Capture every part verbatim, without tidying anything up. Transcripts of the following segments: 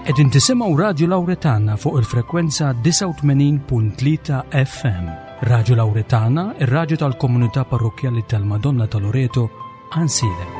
Qegħdin tisimgħu Radju Lawretana fuq il-frekwenza disgħa u tmenin punt tlieta F M. Radju Lawretana, ir-radju tal-komunità parrokkjali tal-Madonna ta' Loreto, Għajnsielem.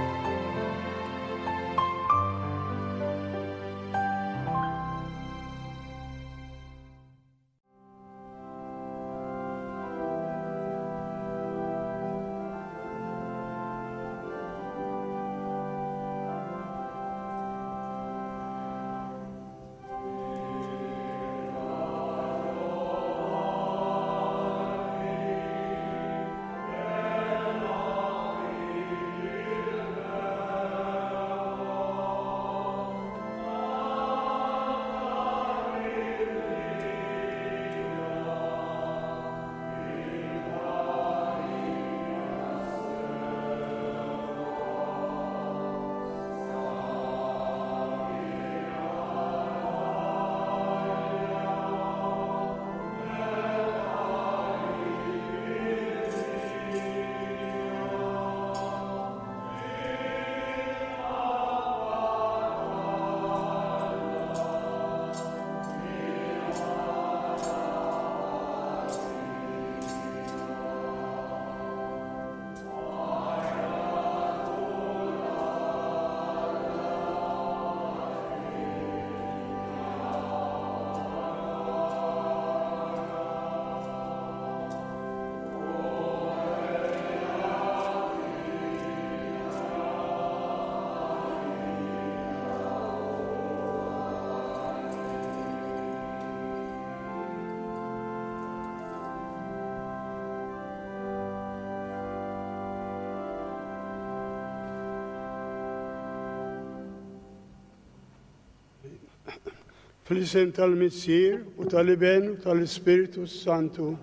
Fl-isem tal-Missier u tal-Iben u tal-Ispirtu Santu,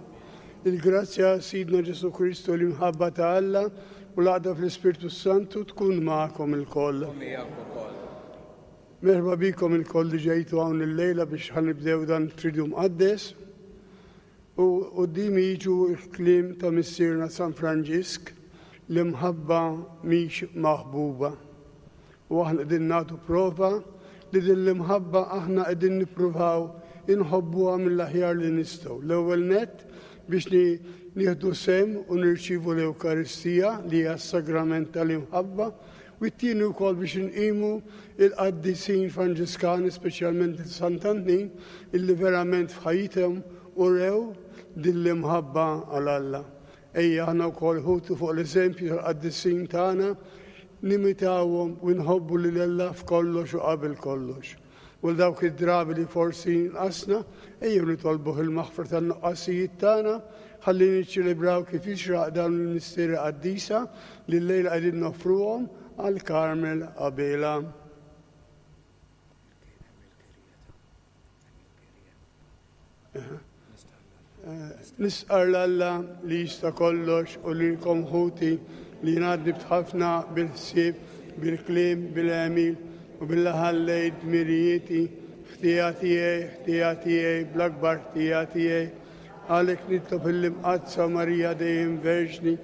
il-grazzja Sidna Ġesu Kristu, l-imħabba ta' Alla u l-għaqda fl-Ispirtu Santu tkun magħkom ilkoll. Merħba bikom ilkoll li ġejtu hawn illejla biex ħanibdew dan it-Triduum Mqaddes. U quddiemi jiġu l-kliem ta' Missierna San Franġisk, l-imħabba mhix maħbuba. U aħna qegħdin nagħtu prova li din l-imħabba aħna qegħdin nippruvaw inħobbuha mill-aħjar li nistgħu. L-ewwel nett biex ni-, nieħdu sem u nirċievu l-Ewkaristija li hija s-sagrament tal-imħabba, u t-tieni wkoll biex nqimu il-qaddisin Franġiskani, speċjalment il-Sant'Antnin, illi verament f'ħajjithom urew din l-imħabba għal Alla. Ejja aħna wkoll ħutu fuq l-eżempju tal-qaddisin tagħna, nimitawhom u nħobbu lil Alla f'kollox u qabel kollox. U dawk id-drabi li forsi nqasna, ejjew nitolbuh il-maħfra tan-nuqqasijiet tagħna, ħalli niċċelebraw kif jixraq dawn il-misteri qaddisa li llejla qegħdin noffruhom għal Carmel Abela. Nisqar l-Alla li jista' kollox u lilkom ħuti li ngħaddi b'ħafna bil-ħsieb, bil-kliem, bil-għemil u billi ħallejt dmirijieti, ħtija tiegħi, ħtija tiegħi, bl-akbar ħtija tiegħi. Għalhekk nitlob il-Imqaddsa Marija dejjem Verġni,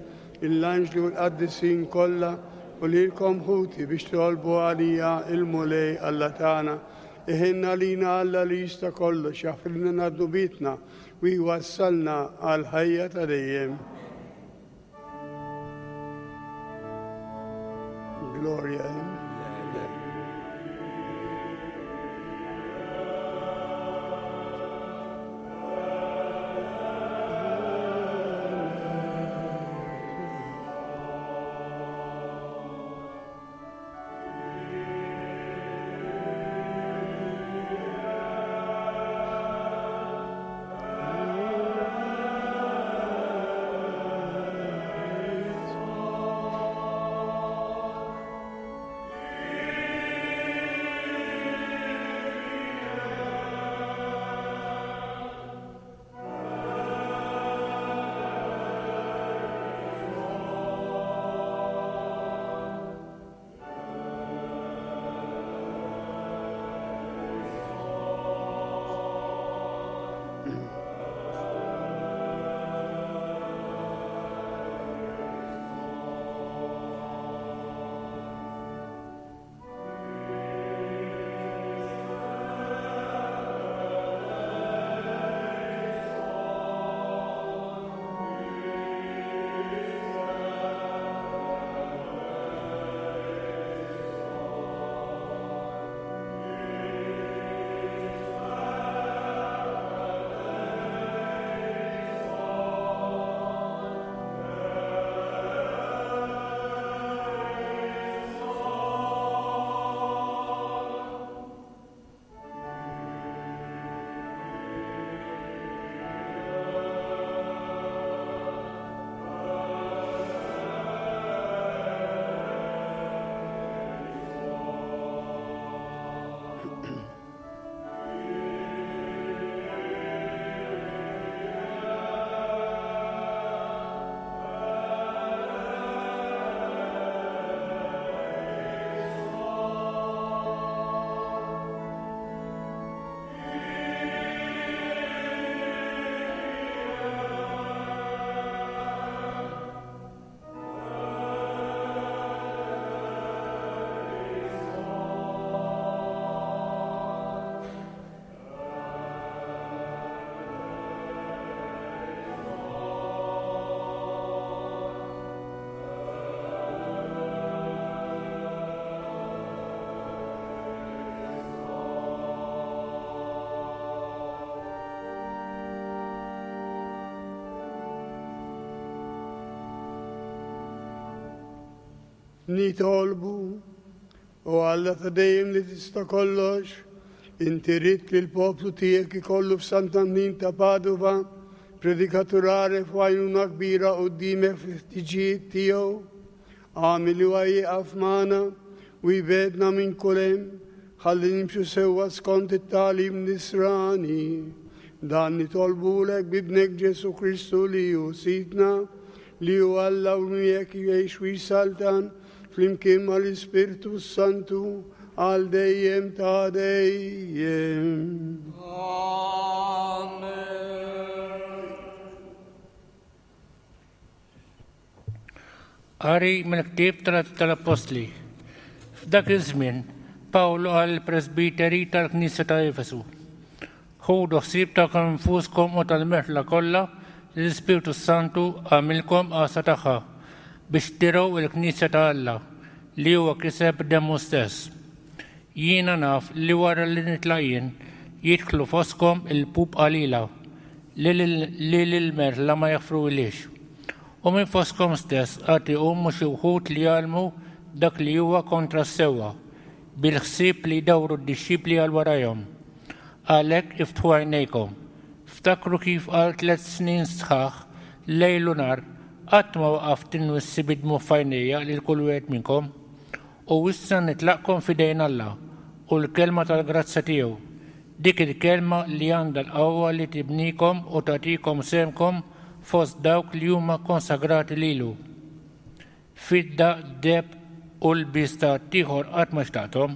l-anġli u l-qaddisin kollha u lilkom ħuti biex tolbu għalija il-Mulej Alla tagħna. Iħinna lina Alla li jista' kollox, jaħfrilna dnubietna u jwassalna għal ħajja ta' dejjem. Gloria in. Nitolbu, o Alla ta' dejjem li tista' kollox, inti ridt li l-poplu tiegħek ikollu f'Sant'Antin ta' Padova predikatur għaref u għajnuna kbira quddiemek fil-ħtiġijiet tiegħu. Agħmel li huwa jieqaf magħna u jbegħedna minn kull hemm, ħalli nimxu sewwa skont it-tagħlim nisrani. Dan nitolbulek b'Ibnek Ġesù Kristu li hu Sidna, li hu Alla u miegħek jgħix u jsaltan flimkien mal-Ispirtu Santu għal dejjem ta' dejjem. Amen. Qari mill-ktieb tal-Appostli. F'dak iż-żmien Pawlu qal presbiteri tal-Knisja ta' Efesu: Ħudu ħsieb ta' infuskom u tal-merħla kollha li l-Ispirtu Santu għamilkom għassa tagħha biex tirgħu il-Knisja ta' Alla li huwa kiseb demmu stess. Jiena naf li wara li nitlaq jien jidħlu foskom il-pup qalila li lil-merħla ma jaħfruhiex. U minn foskom stess għad iqumu xi wħud li jgħallmu dak li huwa kontra s-sewwa, bil-ħsieb li jdawru d-dixxipli għal warajhom. Għalhekk iftħu għajnejkom. Ftakru kif għal tliet snin sħaħ lejl u nhar qatt ma waqaft inwissi bid-dmugħ f'għajnejja lil kull wieħed minnkom. U issa nitlaqkom f'idejn Alla u l-kelma tal-grazzja tiegħu, dik il-kelma li għandha l-qawwa li tibnikom u tagħtikom sehemkom fost dawk li huma konsagrati lilu. Fidda, deheb u lbies ta' ħaddieħor qatt ma xtaqthom.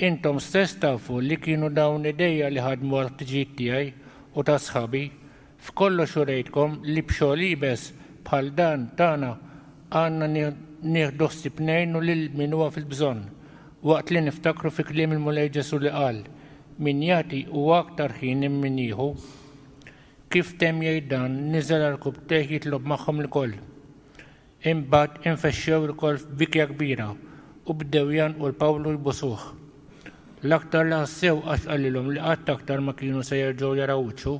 Intom stess tafu li kienu dawn idejja li ħadmu għal-ħtiġijiet tiegħi u ta' sħabi. F'kollox urejtkom li b'xogħol iebes bħal dan tagħna għandna nieħdu ħsieb ngħinu lil min huwa fil-bżonn, waqt li niftakru fi kliem il-Mulej Ġesù li qal: Min jagħti huwa aktar ħin minn min jieħu. Kif temm jgħid dan, niżel għarkupptejh jitlob magħhom ilkoll. Imbagħad infexxew ilkoll f'bikja kbira u bdew jgħannqu 'l Pawlu jbusuh. L-aktar li ħassew għax qalilhom li qatt aktar ma kienu se jerġgħu jaraw wiċċu.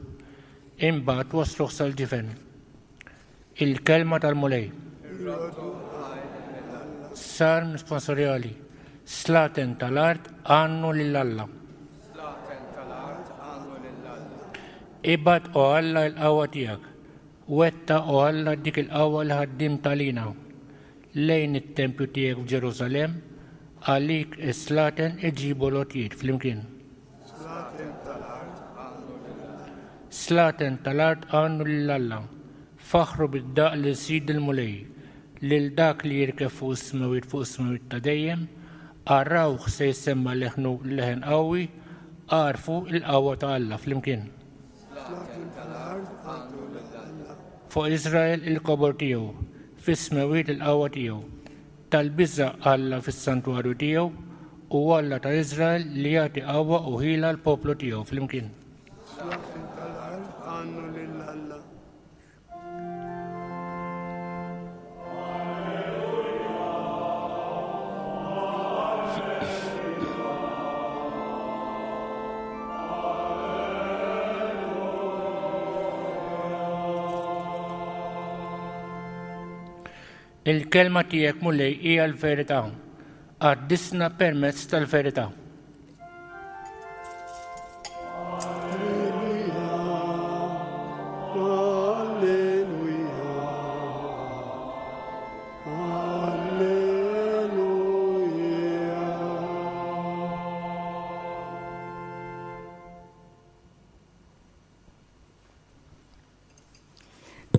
Imbagħad wasluh sal-ġifen. Il-kelma tal-Mulej. Salm sponsorjali. Slaten tal-art għannu lil Alla. Ibgħat o Alla l-qawwa tiegħek. Wettaq o Alla dik il-qawwa li ħaddimt għalina. Lejn it-tempju tiegħek f'Ġerusalemm, għalik is-slaten iġibu l-għotjiet flimkien. Slaten tal-art għannu lil Alla. Faħħru bid-daqq lil Sid il-Mulej, lil dak li jirkeb fuq is-smewwiet fuq is-smewwiet ta' dejjem, arawh se jsemma' leħnu leħen qawwi, għarfu l-qawwa ta' Alla flimkien. Fuq Iżrael il-kobor tiegħu, fis-smewwiet il-qawwa tiegħu. Tal-biża' Alla fis-santwarju tiegħu, u Alla ta' Iżrael li jagħti qawwa u ħila l-poplu tiegħu flimkien. Slaten tal-art għannu lil Alla. Il-kelma tiegħek Mulej hija l-verità. Qaddisna permezz tal-verità. Alleluja, alleluja, alleluja.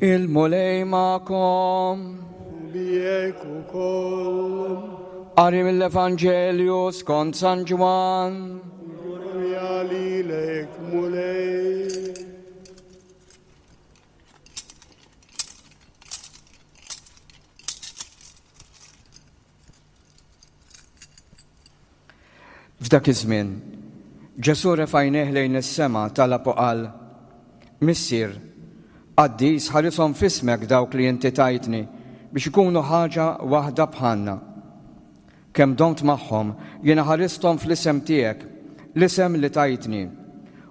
Il-Mulej magħkom. Miegħek ukoll. Qari mill-Evanġelju skont San Ġwann. Glorja lilek Mulej. F'dak iż-żmien, Ġesù refa' għajnejh lejn is-sema talab u qal: Missier, qaddis, ħarishom f'ismek dawk li inti tajtni biex ikunu ħaġa waħda bħalna. Kemm domt magħhom, jiena ħaristhom fl-isem tiegħek, l-isem li tajtni,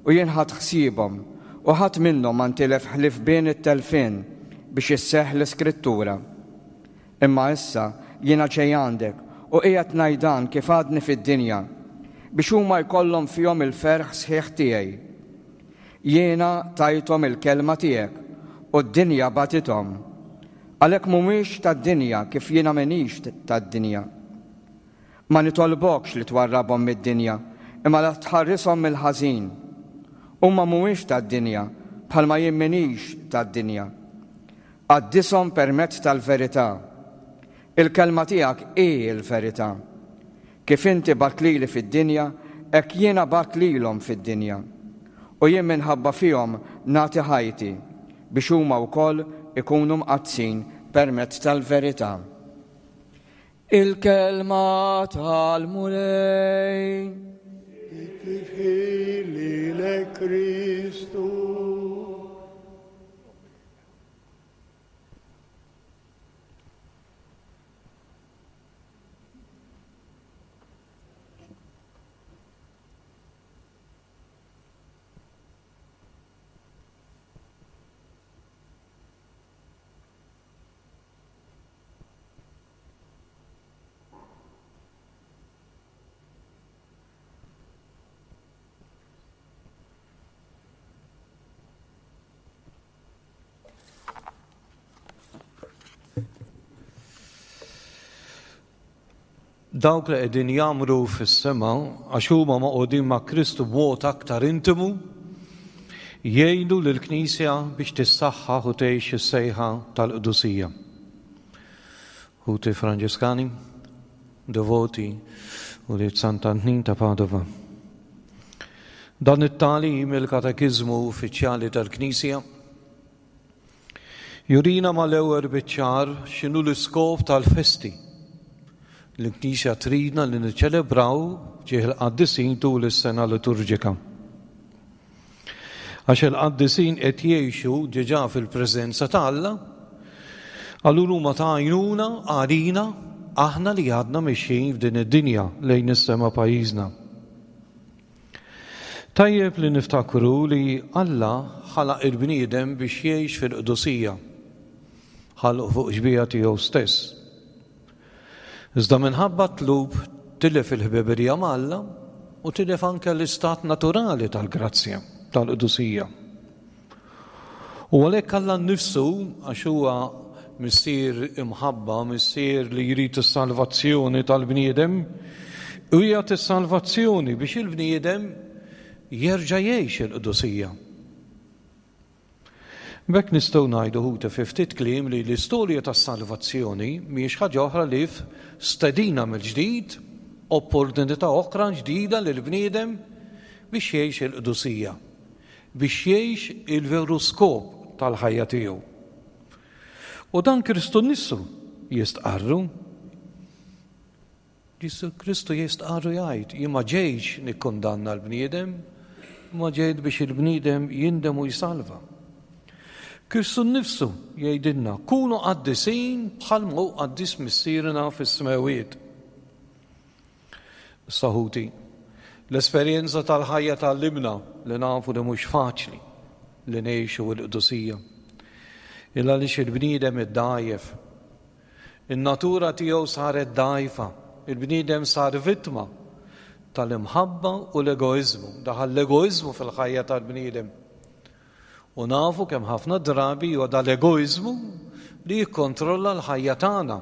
u jien ħadt ħsiebhom, u ħadd minnhom ma ntilef ħlief bin it-telfien biex isseħħ l-Iskrittura. Imma issa jiena ġej għandek u qiegħed ngħid dan kif għadni fid-dinja, biex huma jkollhom fihom il-ferħ sħiħ tiegħi. Jiena tajthom il-kelma tiegħek u d-dinja bagħtithom. Għalhekk mhumiex tad-dinja kif jiena m'iniex tad-dinja. Ma nitolbokx li twarrabhom mid-dinja, imma la tħarrishom mill-ħażin. Huma mhumiex tad-dinja, bħalma jien m'iniex tad-dinja. Qaddishom permezz tal-verità. Il-kelma tiegħek hi l-verità. Kif inti bgħatt lili fid-dinja, hekk jiena bgħatt lilhom fid-dinja. U jien minħabba fihom nagħti ħajti biex huma wkoll ikunu mqaddsin permezz tal-verità. Il-kelma tal-Mulej. Tifħir lilek Kristu. Dawk li qegħdin jagħmru fis-sema għax huma maqgħudin ma' Kristu b'mod aktar intimu, jgħinu lill-Knisja biex tissaħħaħ u tgħix is-sejħa tal-qdusija. Ħuti Franġiskani, devoti u li Sant'Antnin ta' Padova. Dan it-tagħlim il-Katekiżmu Uffiċjali tal-Knisja jurina mal-ewwel biċ-ċar x'inhu l-iskop tal-festi. L-Knisja tridna li niċċelebraw ġieħ il-qaddisin tul is-sena liturġika. Għax il-qaddisin qed jgħixu diġà fil-preżenza ta' Alla, allura huma ta' għajnuna għalina aħna li għadna mixjin f'din id-dinja lejn is-sema pajjiżna. Tajjeb li niftakru li Alla ħalaq il-bniedem biex jgħix fil-qdusija, ħalqu fuq xbieha tiegħu stess. Iżda minħabba tlub tilef il-ħbiberija ma' Alla u tilef anke l-istat naturali tal-grazzja, tal-qdusija. U għalhekk Alla nnifsu, għax huwa missier imħabba, missier li jrid is-salvazzjoni tal-bniedem, u jagħti s-salvazzjoni biex il-bniedem jerġa' jgħix il-qdusija. B'hekk nistgħu ngħidu ħuti fi ftit kliem li l-istorja tas-salvazzjoni mhijiex ħaġa oħra li stedina mill-ġdid, opportunità oħra ġdida lill-bniedem biex jgħix il-qdusija, biex jgħix il-veru skop tal-ħajja tiegħu. U dan Kristu nnifsu jistqarru. Ġesu Kristu jistqarru jgħid, jien ma ġejtx nikkundanna l-bniedem, ma ġejt biex il-bniedem jindem u jsalva. Kristu nnifsu jgħidilna, kunu qaddisin bħalma hu qaddis Missierna fis-smewwiet. Issa ħuti, l-esperjenza tal-ħajja tgħallimna li nafu li mhux faċli li ngħixu l-qdusija. Illa għaliex il-bniedem iddgħajjef. In-natura tiegħu saret dgħajfa, il-bniedem sar vittma tal-imħabba u l-egoiżmu. Daħal l-egoiżmu fil-ħajja tal-bniedem. U nafu kemm ħafna drabi huwa dal-egoiżmu li jikkontrolla l-ħajja tagħna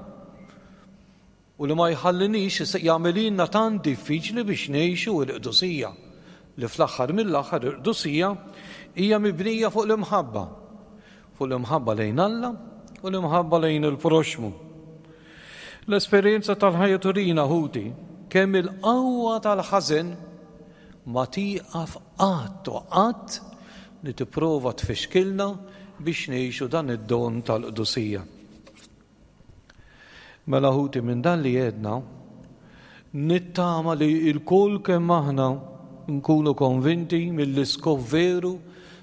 u li ma jħallinix jagħmililna tant diffiċli biex ngħixu l-qdusija, li fl-aħħar mill-aħħar il-qdusija hija mibnija fuq l-imħabba, fuq l-imħabba lejn Alla u l-imħabba lejn il-proxmu. L-esperjenza tal-ħajja turina ħuti kemm il-qawwa tal-ħażen ma tieqaf qatt u qatt li tipprova tfixkilna biex ngħixu dan id-don tal-qdusija. Mela ħuti, minn dan li għedna, nittama li l-kull kemm aħna nkunu konvinti mill-iskop veru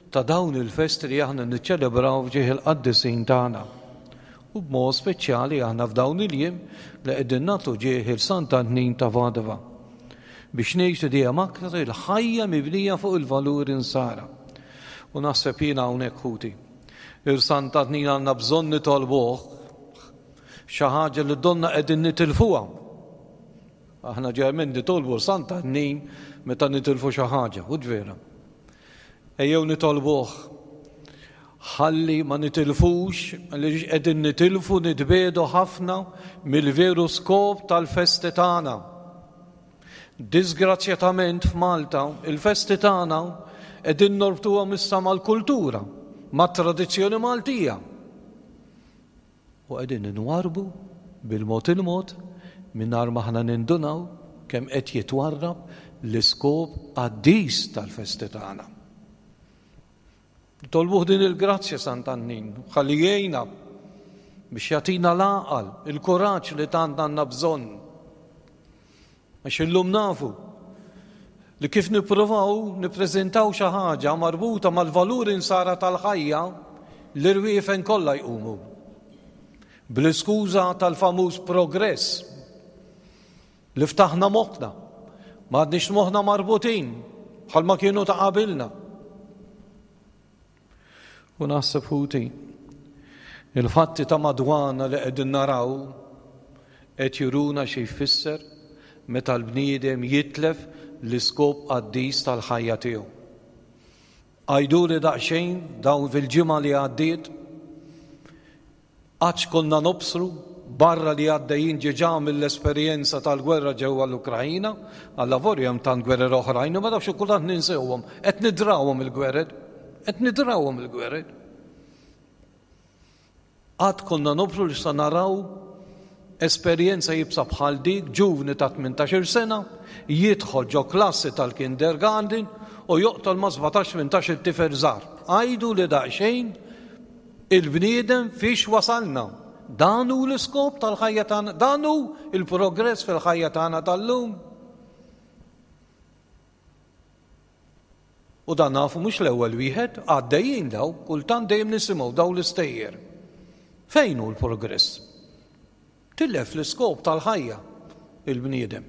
ta' dawn il-festi li aħna niċċelebraw f'ġieħ il-qaddisin tagħna. U b'mod speċjali aħna f'dawn il-jiem li qegħdin nagħtu ġieħ il Sant'Antnin ta' Padova biex ngħixu dejjem aktar il-ħajja mibnija fuq il-valuri nsara. U naħseb jiena hawnhekk ħuti, il Sant'Antnin għandna bżonn nitolbuh Xi ħaġa li donna qegħdin nitilfuha. Aħna ġermin nitolbu Sant'Annin meta nitilfu xi ħaġa, u vera. Ejjew nitolbuh ħalli ma nitilfux, li qegħdin nitilfu nitbedu ħafna mill-veru skop tal-festi tagħna. Disgrazzjatament f'Malta, il-festi tagħna qegħdin norbtuhom issa mal-kultura, mat-tradizzjoni Maltija. U qegħdin inwarbu bil-mod il-mod mingħajr ma aħna nindunaw kemm qed jitwarrab l-iskop qaddis tal-festi tagħna. Tolbuh din il-grazzja Sant'Annin, ħalli jgħinna biex jagħtina l-għaqal, il-kuraġġ li tant għandna bżonn. Għax illum nafu li kif nippruvaw nippreżentaw xi ħaġa marbuta mal-valuri nsara tal-ħajja, l-irwiefen kollha jqumu. Bl-iskuża tal-famuż progress li ftaħna moħħna, ma għadniex moħħna marbutin bħalma kienu ta' qabilna. U naħseb ħuti, il-fatti ta' madwarna li qegħdin naraw qed juruna xi jfisser meta l-bniedem jitlef l-iskop qaddis tal-ħajja tiegħu. Għajduli daqsxejn dawn fil-ġimgħa li għaddiet, għadx konna nobsru barra li għaddejjin ġeġa mill-esperjenza tal-gwerra ġewwa l-Ukrajina, għallavolja hemm tant gwerer oħrajn, ma nafx kultant ninsewhom, qed nidrawhom il-gwerer, qed nidrawhom il-gwerer. Għad konna nobsru li sa naraw esperjenza jibsa bħal dik ġuvni ta' tmintax-il sena jidħol ġo klassi tal-kindergarten u joqtol ma' sbatax tmintax-il tifel żgħar. Għajdu li daqsxejn il-bniedem fiex wasalna. Dan hu l-iskop tal-ħajja tagħna, dan hu il-progress fil-ħajja tagħna tal-lum. U dan nafu mhux l-ewwel wieħed, għaddejjin daw, kultant dejjem nisimgħu daw l-istejjer. Fejn hu l-progress? Tilef l-iskop tal-ħajja il-bniedem.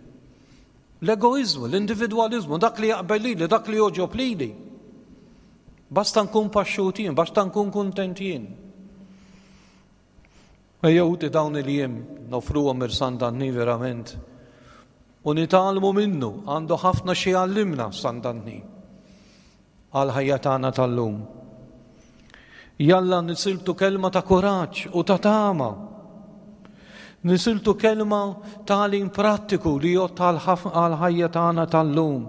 L-egoizmu, l-individwalizmu, dak li jaqbel lili, dak li joġob lili. Basta nkun paxxut jien, basta nkun kuntent jien. Ejjew ħuti dawn il-jiem nofruhom ir Sant'Anni verament. U nitgħallmu minnu, għandu ħafna xi jgħallimna Sant'Anni għal ħajja tagħna tal-lum. Jalla nisiltu kelma ta' kuraġġ u ta' tama. Nisiltu kelma tagħlim prattiku li jgħod għal ħajja tagħna tal-lum.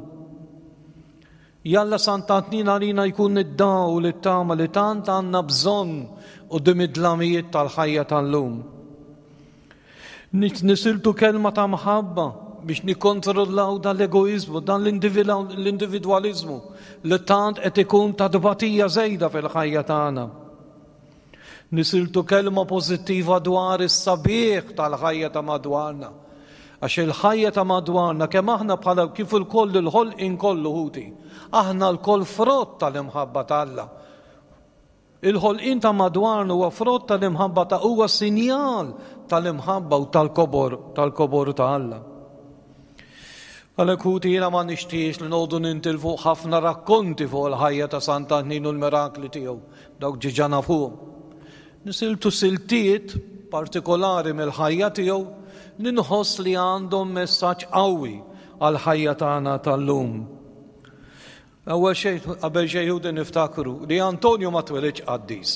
Jalla Sant'Antnin għalina jkun id-dawl u t-tama li tant għandna bżonn quddiem id-dlamijiet tal-ħajja tal-lum. Nisiltu kelma ta' mħabba biex nikkontrollaw dan l-egoizmu, dan l-individwalizmu li tant qed ikun ta' tbatija żejda fil-ħajja tagħna. Nisiltu kelma pożittiva dwar is-sabiħ tal-ħajja ta' madwarna. Għax il-ħajja ta' madwarna kemm aħna bħala kif il-koll il-ħolqien kollu ħuti, aħna l-koll frott tal-imħabba ta' Alla. Il-ħolqien ta' madwarna huwa frott tal-imħabba ta' huwa sinjal tal-imħabba u tal-kobor, tal-kobor ta' Alla. Għalhekk ħuti jiena ma nixtiex li noqogħdu nintilfu ħafna rakkonti fuq il-ħajja ta' Sant'Antnin u l-mirakli tiegħu, dawk ġiġa nafuhom. Nisiltu siltiet partikolari mill-ħajja tiegħu li nħoss li għandhom messaġġ qawwi għall-ħajja tagħna tal-lum. Ewwel xejn, qabel xejn ħuti niftakru li Antonio ma twelidx qaddis.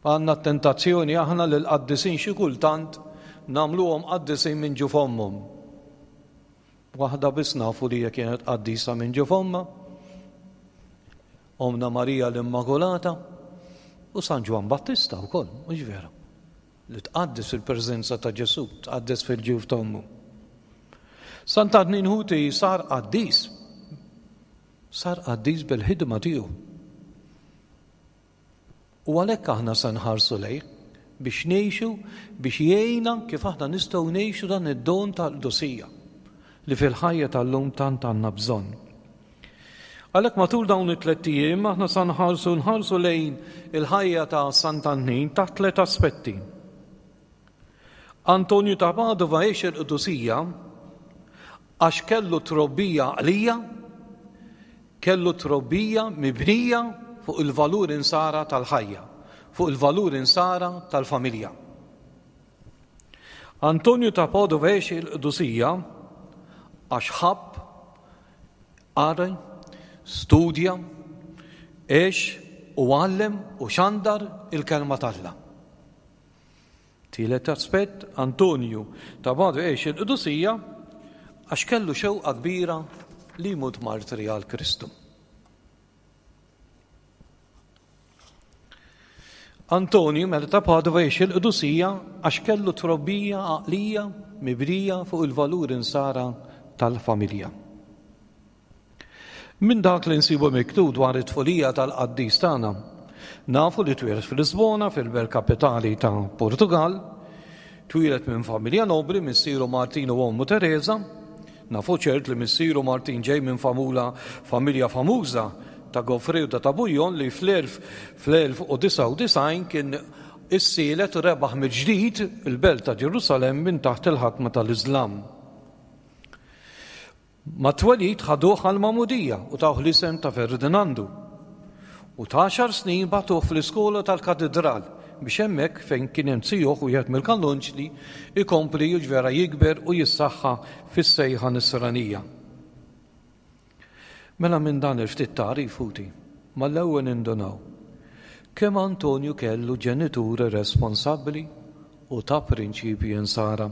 Għandna tentazzjoni aħna li l-qaddisin xi kultant nagħmluhom qaddisin minn ġu fommhom. Waħda biss nafu li hija kienet qaddisa minn ġu fommha, Omna Marija l-Immakulata u San Ġwann Battista wkoll, mhux vera, li tqaddes fil-preżenza ta' Ġesù, tqaddes fil-ġuf t'ommu. Sant'Antnin ħuti sar qaddis, sar qaddis bil-ħidma tiegħu. U għalhekk aħna se nħarsu lejh biex ngħixu, biex jgħinna kif aħna nistgħu ngħixu dan id-don tal-qdusija li fil-ħajja tal-lum tant għandna bżonn. Għalhekk matul dawn it-tliet ijiem aħna sa nħarsu nħarsu lejn il-ħajja ta' Sant'Antnin taħt tliet aspetti. Antonju ta' Padova għex il-qdusija għax kellu trobbija għaqlija, kellu trobbija mibnija fuq il-valur insara tal-ħajja, fuq il-valuri nsara tal-familja. Antonju ta' Padova għex il-qdusija għax ħabb, qara, studja, għex u għallem u xandar il-kelma t'Alla. Tielet aspett, Antonju ta' Padova għex il-qdusija għax kellu xewqa kbira li jmut martri għal Kristu. Antonju mela ta' Padova għex il-qdusija għax kellu trobbija għaqlija mibrija fuq il-valur insara tal-familja. Minn dak li nsibu miktub dwar it-tfulija tal-qaddis tagħna, nafu li twieled fil-Lisbona, fil-belt kapitali ta' Portugal, twieled minn familja nobli, missieru Martin u ommu Teresa. Nafu ċert li missieru Martin ġej minn famula familja famuża ta' Goffredo ta' Tabujon li fl-elf u disgħa u disgħin kien issielet u rebaħ mill-ġdid il-belt ta' Ġerusalemm minn taħt il-ħakma tal-Iżlam. Ma twelid ħaduh għal-Magħmudija u tawh l-isem ta' Ferdinandu. U ta' għaxar snin bagħtuh fl-iskola tal-katedral biex hemmhekk fejn kien hemm zijuh wieħed mill-kallunċli ikompli jiġvera jikber u jissaħħa fis-sejħa nisranija. Mela minn dan il-ftit tagħrif ħuti, mal-ewwel nindunaw kemm Antonju kellu ġenituri responsabbli u ta' prinċipji insara.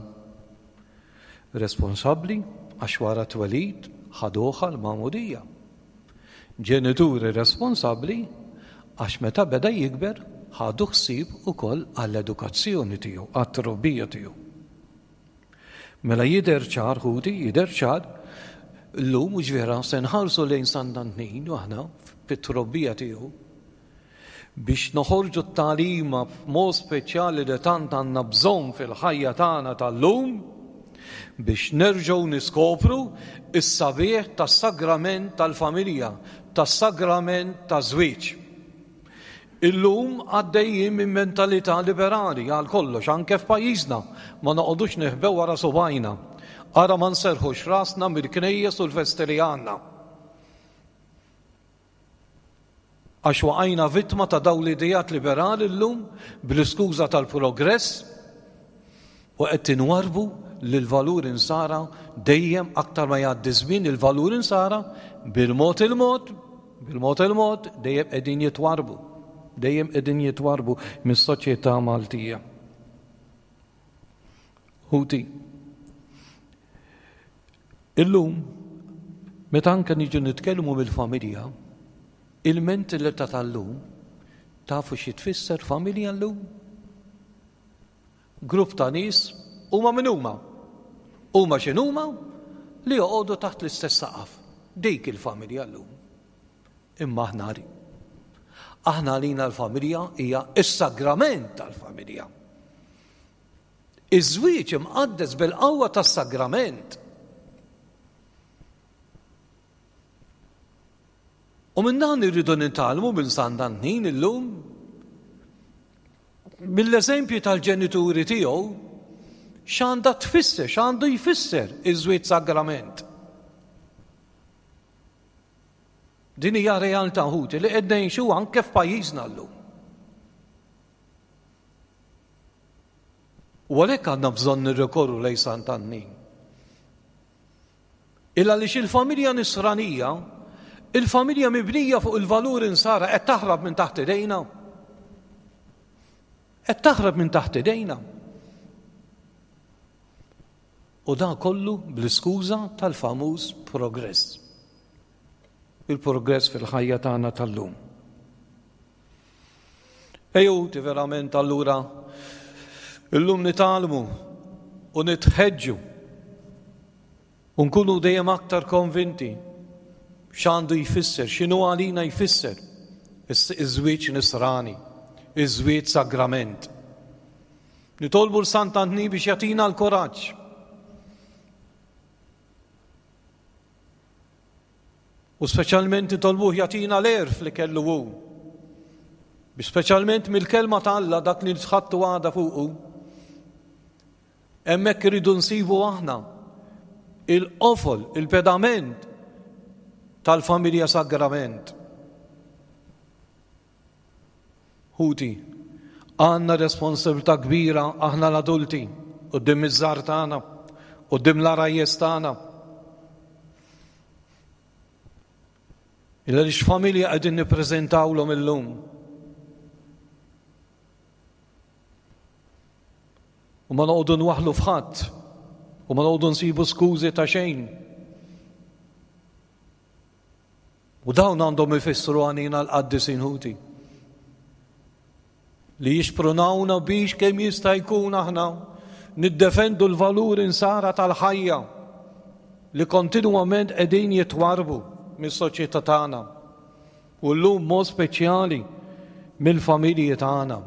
Responsabbli għax wara twelid ħaduh għall-Magħmudija. Ġenituri responsabbli għax meta beda jikber ħadu ħsieb ukoll għall-edukazzjoni tiegħu, għat-trobbija tiegħu. Mela jidher ċar ħuti, jidher ċar, llum mhux vera se nħarsu lejn Sant'Antnin u aħna fit-trobbija tiegħu biex noħorġu t-tagħlima b'mod speċjali li tant għandna bżonn fil-ħajja tagħna tal-lum biex nerġgħu niskopru s-sabiħ tas-sagrament tal-familja, tas-sagrament taż-żwieġ. Illum għaddejjin minn mentalità liberali għal kollox, anke f'pajjiżna, ma noqogħdux neħbew wara subajna. Ara ma nserħux rasna mill-knejjes u l-festi li għandna. Għax waqajna vittma ta' dawn l-idejat liberali llum bl-iskuża tal-progress u qed tinwarbu li l-valur insara dejjem aktar ma jgħaddi żmien il-valur insara bil-mod il-mod, bil-mod il-mod dejjem qegħdin jitwarbu, dejjem qegħdin jitwarbu mis-soċjetà Maltija. Ħuti, illum meta anke niġu nitkellmu mill-familja, il-mentalità tal-lum, tafu xi tfisser familja llum? Grupp ta' nies huma min huma? Huma x'inhuma li joqogħdu taħt l-istess saqaf. Dik il-familja llum. Imma aħna aħna għalina l-familja hija s-sagrament tal-familja. Iż-żwieġ imqaddes bil-qawwa tas-sagrament. U minn dan irridu nitgħallmu minn Sant'Antnin illum, mill-eżempju tal-ġenituri tiegħu, x'għandha tfisser, x'għandu jfisser iż-żwieġ sagrament. Din hija realtà ħuti li qed ngħixu anke f'pajjiżna llum. U għalhekk għandna bżonn nirrikorru lejn Sant'Antnin. Illa għaliex il-familja nisranija, il-familja mibnija fuq il-valur insara qed taħrab minn taħt idejna. Qed taħrab minn taħt idejna. U dan kollu bl-iskuża tal-famuż progress. Il-progress fil-ħajja tagħna tal-lum. Ejju verament allura illum nitgħallmu u nitħeġġu u nkunu dejjem aktar konvinti x'għandu jfisser, x'inhu għalina jfisser iż-żwieġ nisrani, iż-żwieġ sagrament. Nitolbu l Sant'Antnin biex jagħtina l-kuraġġ. U speċjalment nitolbuh jagħtina l-għerf li kellu hu. Biex speċjalment mill-kelma ta' Alla dak li nitħattu għada fuqu. Hemmhekk iridu nsibu aħna il-qofol, il-pedament tal-familja sagrament. Ħuti, Għandna responsabilità kbira aħna l-adulti quddiem iż-żgħar tagħna, quddiem l-għarajjes tagħna. Illa li x'familja qegħdin nippreżentawlhom illum. U ma noqogħdu nwaħħlu f'ħadd, u ma noqogħdu nsibu skużi ta' xejn. U dawn għandhom ifissru għanina l-qaddisin ħuti. Li jixprunawna biex kemm jista' jkun aħna niddefendu l-valur insara tal-ħajja li kontinwament qegħdin jitwarbu mis-soċjetà tagħna u llum mod speċjali mill-familji tagħna.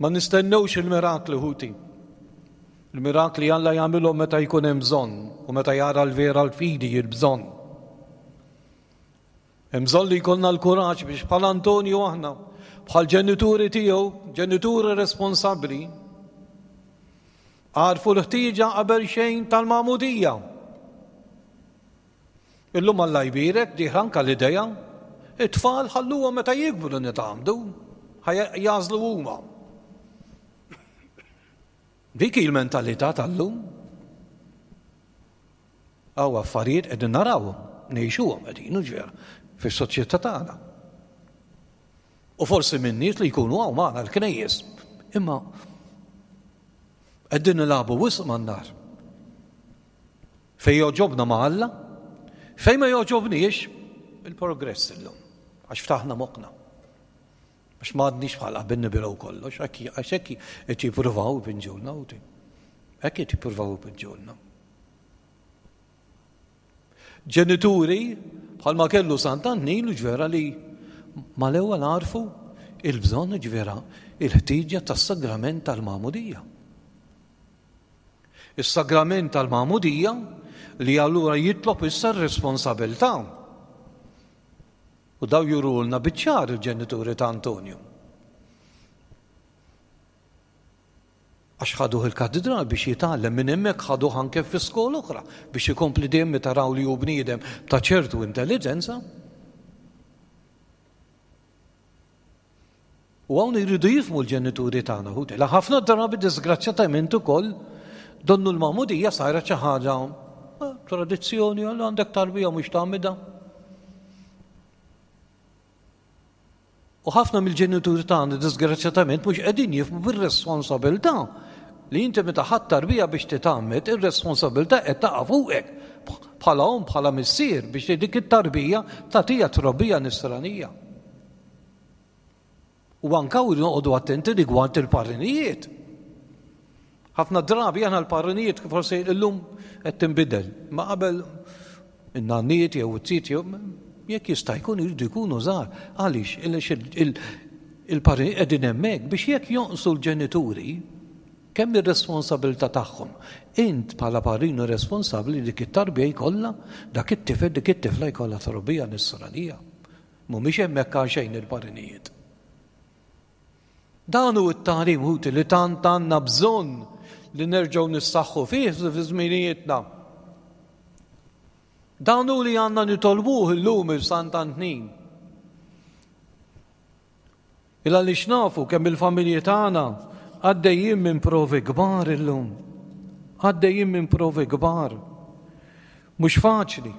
Ma nistennewx il-mirakli ħuti. Il-mirakli Alla jagħmilhom meta jkun hemm bżonn u meta jara l-vera l-fidi il-bżonn. Hemm bżonn li jkollna l-kuraġġ biex bħal Antonju aħna, bħal ġenituri tiegħu, ġenituri responsabbli, għarfu l-ħtieġa qabel xejn tal-magħmudija. Illum Alla jbierek dieħla anke l-idea, it-tfal ħalluhom meta jikbru nitgħammdu, jagħżlu huma. Dik hi l-mentalità tal-lum. Hawn affarijiet qegħdin narawhom, ngħixuhom qegħdin ġera fis-soċjetà tagħna. U forsi minn nies li jkunu hawn magħna l-knejjes, imma qegħdin nilagħbu wisq man-nar. Fejn jogħġobna ma' Alla, fejn ma jogħġobniex il-progress illum, għax ftaħna moħħna. Għax ma għadniex bħal qabel nibilgħu kollox, għax hekk qed jippruvaw ipinġulna ħuti. Hekk qed jippruvaw ipinġulna. Ġenituri bħalma kellu Sant'Antnin ġvera li mal-ewwel għarfu il-bżonn ġvera il-ħtieġa tas-sagrament tal-magħmudija. Is-sagrament tal-magħmudija li allura jitlob issa r-responsabilità. U daw jurulna biċ-ċar il-ġenituri ta' Antonju. Għax ħaduh il-katedral biex jitgħallem, minn hemmhekk ħaduh anke fi skola oħra biex ikompli dejjem meta raw li hu bniedem ta' ċertu intelligenza. U hawn jridu jifhmu l-ġenituri tagħna ħuti. La ħafna drabi disgrazzjatament ukoll donnu l-magħmudija sajra xi ħaġa tradizzjoni, għal għandek tarbija mhux tagħmilha. U ħafna mill-ġenituri tagħna disgrazzjatament mhux qegħdin jifhmu bir-responsabilità li inti meta ħadd tarbija biex titgħammed, ir-responsabilità qed taqa' fuqek bħala omm, bħala missier biex dik it-tarbija tagħtiha trobbija nisranija. U anke noqogħdu attenti rigward il-parrinijiet. Ħafna drabi aħna l-parrinijiet forsi llum qed tinbidel, ma qabel in-nanniet jew it-tiet jew jekk jista' jkun jridu jkunu żgħar. Għaliex? Il-parrinijiet qegħdin hemmhekk biex jekk jonqsu l-ġenituri kemm ir-responsabilità tagħhom. Int bħala parrinu responsabbli dik it-tarbija jkollha, dak it-tifel, dik it-tifla jkollha trobbija nisranija. Mhumiex hemmhekk għal xejn il-parrinijiet. Dan hu t-tagħlim ħuti li tant għandna bżonn li nerġgħu nissaħħu fih fi żminijietna. Dan hu li għandna nitolbuh illum il-Sant'Antnin. Il għaliex nafu kemm il-familji tagħna għaddejjin minn provi kbar illum. Għaddejjin minn provi kbar. Mhux faċli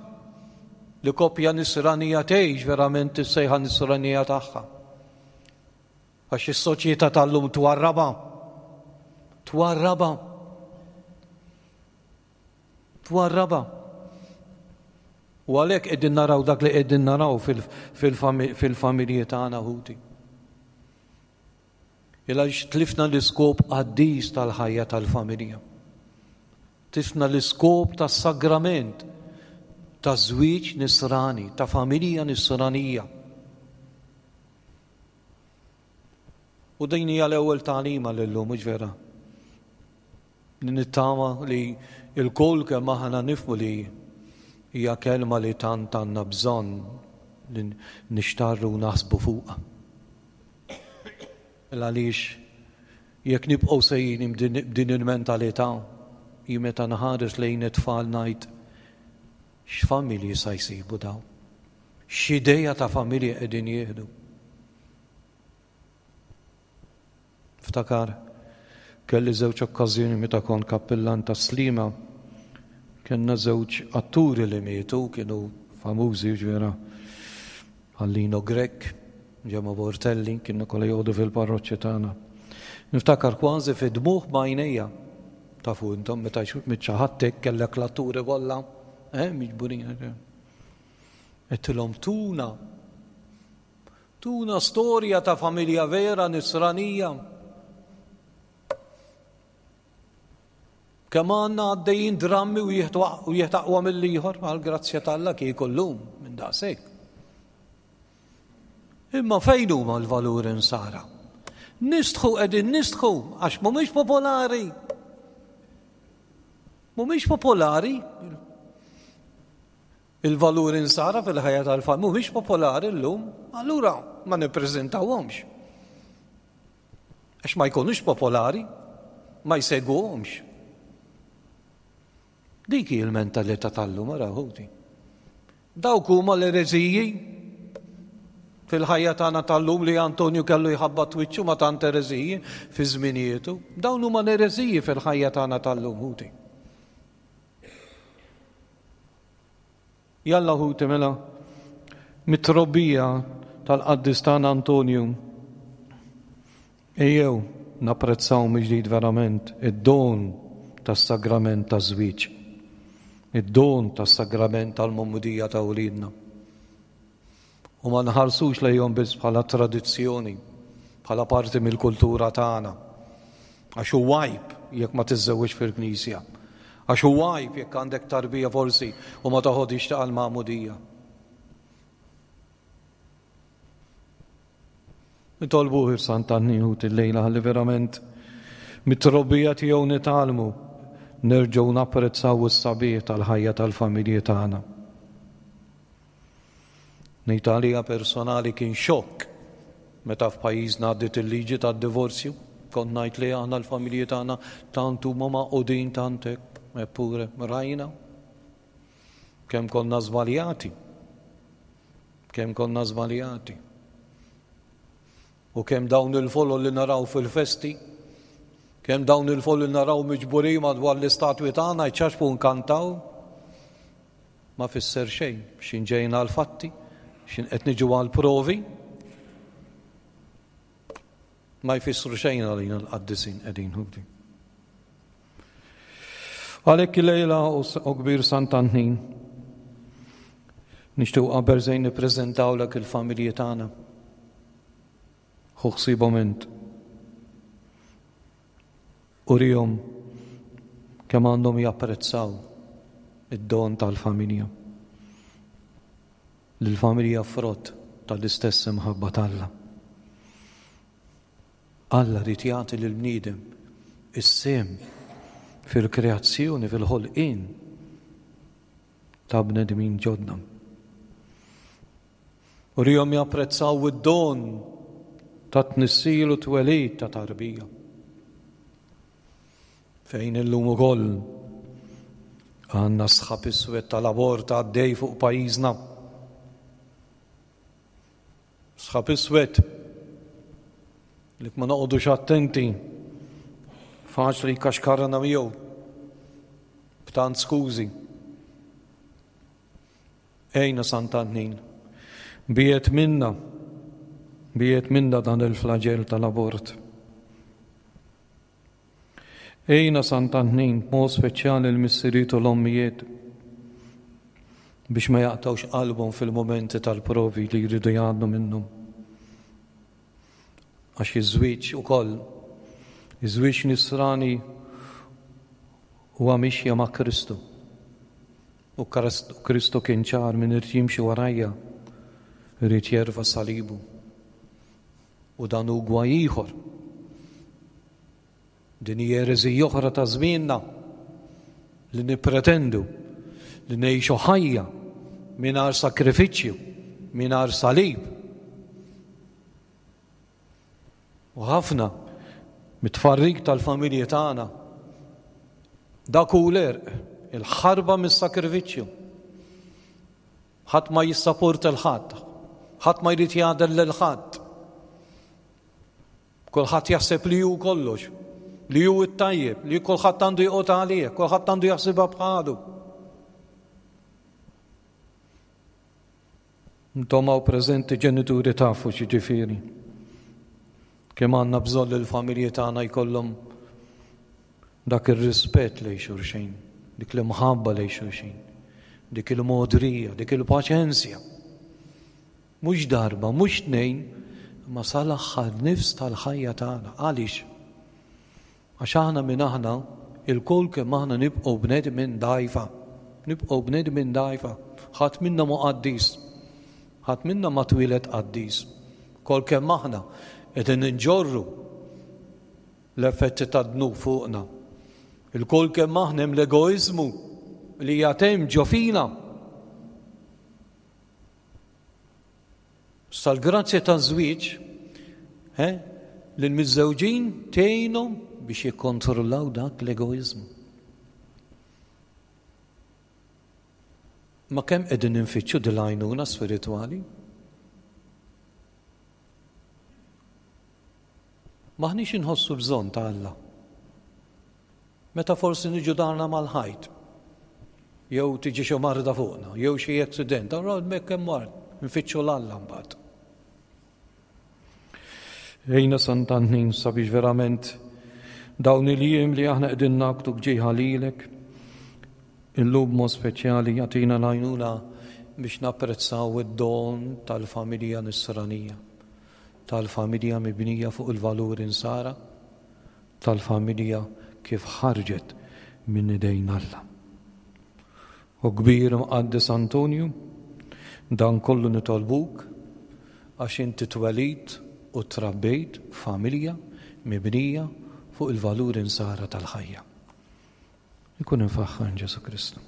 li koppja nisranija tgħix verament is-sejħa nisranija tagħha. Għax is-soċjetà tal-lum twarraba. Twarraba. Twarraba. U għalhekk qegħdin naraw dak li qegħdin naraw fil-familji tagħna ħuti. Il għaliex tlifna l-iskop qaddis tal-ħajja tal-familja. Tlifna l-iskop tas-sagrament ta' żwieġ nisrani, ta' familja nisranija. U din hija l-ewwel tagħlima lillum, mhux vera? Nittama li l-kull kemm aħna nifhmu li hija kelma li tant għandna bżonn li nixtarru u naħsbu fuqha. Għaliex jekk nibqgħu sejjin b'din il-mentalità, jien meta nħares lejn it-tfal ngħid x'familji sa jsibu dawn, X'ideja ta' familja qegħdin jieħdu. Ftakar, kelli żewġ okkażjoni meta kont kappillan ta' Sliema, kellna żewġ atturi li mietu, kienu famużi ġvera, Għallino Grech, Gemma Portelli, kienu kollha joqogħdu fil-parroċċi tagħna. Niftakar kważi fi dmuħ b'għajnejja. Tafu intom meta mitxaħattek kellek l-atturi kollha, eh, miġburin. Għedtilhom tuna. Tuna storja ta' familja vera nisranija. Kemm għandna għaddejjin drammi u wieħed aqwa mill-ieħor, għall-grazzja t'Alla kieku llum minn daqshekk. Imma fejn huma l-valuri nsara? Nistħu qegħdin nistħu għax mhumiex popolari. Mhumiex popolari. Il-valuri nsara fil-ħajja tal-familja mhumiex popolari llum, allura ma nippreżentawhomx. Għax ma jkunux popolari, ma jsegwuhomx. Dik hi l-mentalità tal-lum, ara ħuti. Dawk huma l-ereżiji fil-ħajja tagħna tal-lum li Antonju kellu jħabbat wiċċu ma' tant ereżiji fi żminietu. Dawn huma l-ereżiji fil-ħajja tagħna tal-lum, ħuti. Jalla ħuti mela mit-trobbija tal-qaddis tagħna Antonju. Ejjew napprezzaw mill-ġdid verament id-don tas-sagrament taż-żwieġ. Id-don tas-sagrament tal-magħmudija ta' wliedna. U ma nħarsux lejhom biss bħala tradizzjoni, bħala parti mill-kultura tagħna. Għax hu għajb jekk ma tiżżewġ fil-knisja. Għax hu għajb jekk għandek tarbija forsi u ma toħodix ta' l-magħmudija. Nitolbuh il-Sant'Anni ħuti l-lejla ħalli verament mit-trobbija tiegħu nitgħallmu nerġgħu napprezzaw is-sabiħ tal-ħajja tal-familji tagħna. Ngħid għalija personali kien xokk meta f'pajjiżna għaddiet il-liġi tad-divorzju. Kont ngħid li aħna l-familji tagħna tant huma magħqudin tant hekk, eppure rajna kemm konna żbaljati. Kemm konna żbaljati. U kemm dawn il-folol li naraw fil-festi, kemm dawn il-folol li naraw miġburin madwar l-istatwi tagħna jċaċpu nkantaw, ma fisser xejn, x'in ġejna għal-fatti, x'in qed niġu għal-provi, ma jfissru xejn għalina l-qaddisin qegħdin ħuti. Għalhekk il-lejla u kbir Sant'Antnin, nixtiequ qabel żejn nippreżentawlek il-familji tagħna. Ħu ħsiebhom int. Urihom kemm għandhom japprezzaw id-don tal-familja. L-familja frott tal-istess imħabba t'Alla. Alla rid jagħti lill-bniedem is-sehem fil-kreazzjoni, fil-ħolqien ta' bnedmin ġodda. Urihom japprezzaw id-don ta' tnissil u twelid ta' tarbija. Fejn illum ukoll għandna sħab iswed tal-abort għaddej fuq pajjiżna. Sħab iswed li ma noqogħdux attenti faċli jkaxkarna miegħu b'tant skużi. Ejna Sant'Antnin, biet minna, biet minna dan il-flagell tal-abort. Ejna Sant'Antnin, b'mod speċjali l-missiriet u l-ommijiet biex ma jaqtawx qalbhom fil-momenti tal-provi li jridu jgħaddu minnhom. Għax iż-żwieġ ukoll, iż-żwieġ nisrani huwa mixja ma' Kristu. U Kristu kien ċar min irid jimxi warajja, irid jerfa' salibu. U dan hu gwaj ieħor. Din hija ereżija oħra ta' żmienna li nippretendu li ngħixu ħajja mingħajr sakrifiċċju, mingħajr salib. U ħafna mit-tfarrik tal-familji tagħna dak hu l-għerq, il-ħarba mis-sakrifiċċju. Ħadd ma jissaporta 'l ħadd, ħadd ma jrid jagħder lil ħadd. Kulħadd jaħseb li hu kollox, li hu t-tajjeb, li kulħadd għandu joqgħod għalih, kulħadd għandu jaħsibha bħalu. Intom hawn preżenti ġenituri tafu x'jiġifieri. Kemm għandna bżonn li l-familji tagħna jkollhom dak ir-rispett lejn xulxin, dik l-imħabba lejn xulxin, dik il-modrija, dik il-paċenzja. Mhux darba, mhux tnejn, imma sal-aħħar nifs tal-ħajja tagħna. Għaliex? Għax aħna minn aħna, ilkoll kemm aħna nibqgħu bnedmin dgħajfa. Nibqgħu bnedmin dgħajfa. Ħadd minna mhu qaddis. Ħadd minna ma twieled qaddis. Kol kemm aħna qegħdin inġorru l-effetti tad-dnub fuqna. Ilkoll kemm aħna hemm l-egoiżmu li jagħtem ġo fina. Sal-grazzja taż-żwieġ, eh, lill-miżżewġin tgħinhom biex jikkontrollaw dak l-egoiżmu. Ma kemm qegħdin infittxu din l-għajnuna spiritwali? M'aħniex inħossu bżonn ta' Alla. Meta forsi niġu darna mal-ħajt, jew tiġi xi marda fuqna, jew xi accident, allura hemmhekk hemm mard, nfittxu l-Alla mbagħad. Ejna Sant'Antnin sabiex verament dawn il-jiem li aħna qegħdin nagħtu bġieħa lilek, illum mod speċjali jagħtina l-għajnuna biex napprezzaw id-don tal-familja nisranija, tal-familja mibnija fuq il-valuri nsara, tal-familja kif ħarġet minn idejn Alla. U kbir mqaddes Antonju, dan kollu nitolbuk għax inti twelidt u trabbejt familja mibnija fuq il-valuri nsara tal-ħajja. Ikun infaħħar Ġesu Kristu.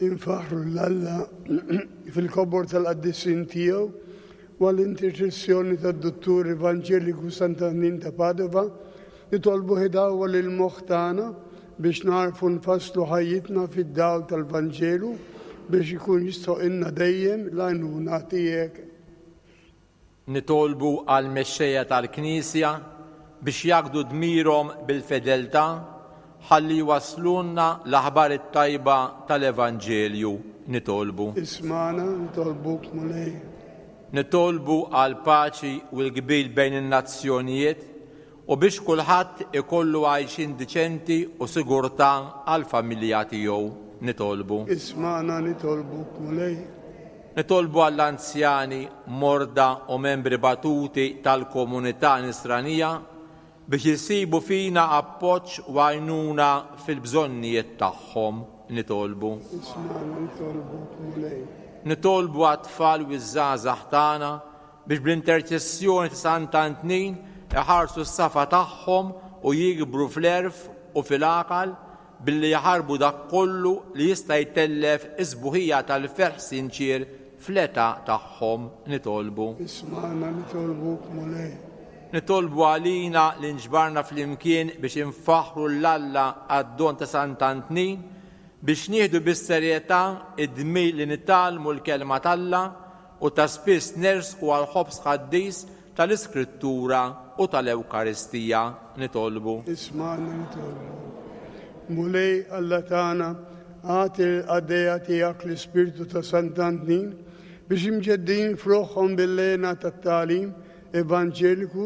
Infaħru l-Alla fil-kobor tal-qaddisin tiegħu u għall-interċessjoni tad-Duttur Evanġeliku Sant'Antnin ta' Padova, nitolbu ħidawa lil moħħ tagħna biex narfu nfasslu ħajjitna fid-dawl tal-Vanġelu biex ikun jistħoqilna dejjem l-għajnuna tiegħek. Nitolbu għall-mexxejja tal-Knisja biex jaqdu dmirhom bil-fedeltà ħalli jwaslulna l-aħbar it-tajba tal-Evanġelju. Nitolbu. Ismana, nitolbuk Mulej. Nitolbu għal paċi u l-qbil bejn in-nazzjonijiet u biex kulħadd ikollu għajxin diċenti u sigurtà għall-familja tiegħu. Nitolbu. Ismana, nitolbuk Mulej. Nitolbu għall-anzjani, morda u membri batuti tal-komunità nisranija biex jisibu fina appoġġ u għajnuna fil-bżonnijiet tagħhom. Nitolbu. Ismana, nitolbuk Mulej. Nitolbu għat-tfal u ż-żgħażagħ tagħna biex bl-interċessjoni ta' Sant'Antnin iħarsu s-safa tagħhom u jikbru fl-għerf u fil-għaqal billi jaħarbu dak kollu li jista' jtellef is-sbuħija tal-ferħ sinċier fl-età tagħhom. Nitolbu. Ismana, nitolbuk Mulej. Nitolbu għalina li nġbarna flimkien biex infaħħru l-Alla għad-don ta' Sant'Antnin biex nieħdu bis-serjetà id-dmir li nitgħallmu l-kelma t'Alla u ta' spiss nersqu għal ħobż qaddis tal-Iskrittura u tal-Ewkaristija. Nitolbu. Ismana, nitolbu. Mulej Alla tagħna, agħti l-qaddejja tiegħek l-Ispirtu ta' Sant'Antnin biex imġeddin f'ruħhom bil-lena tat-tagħlim evanġeliku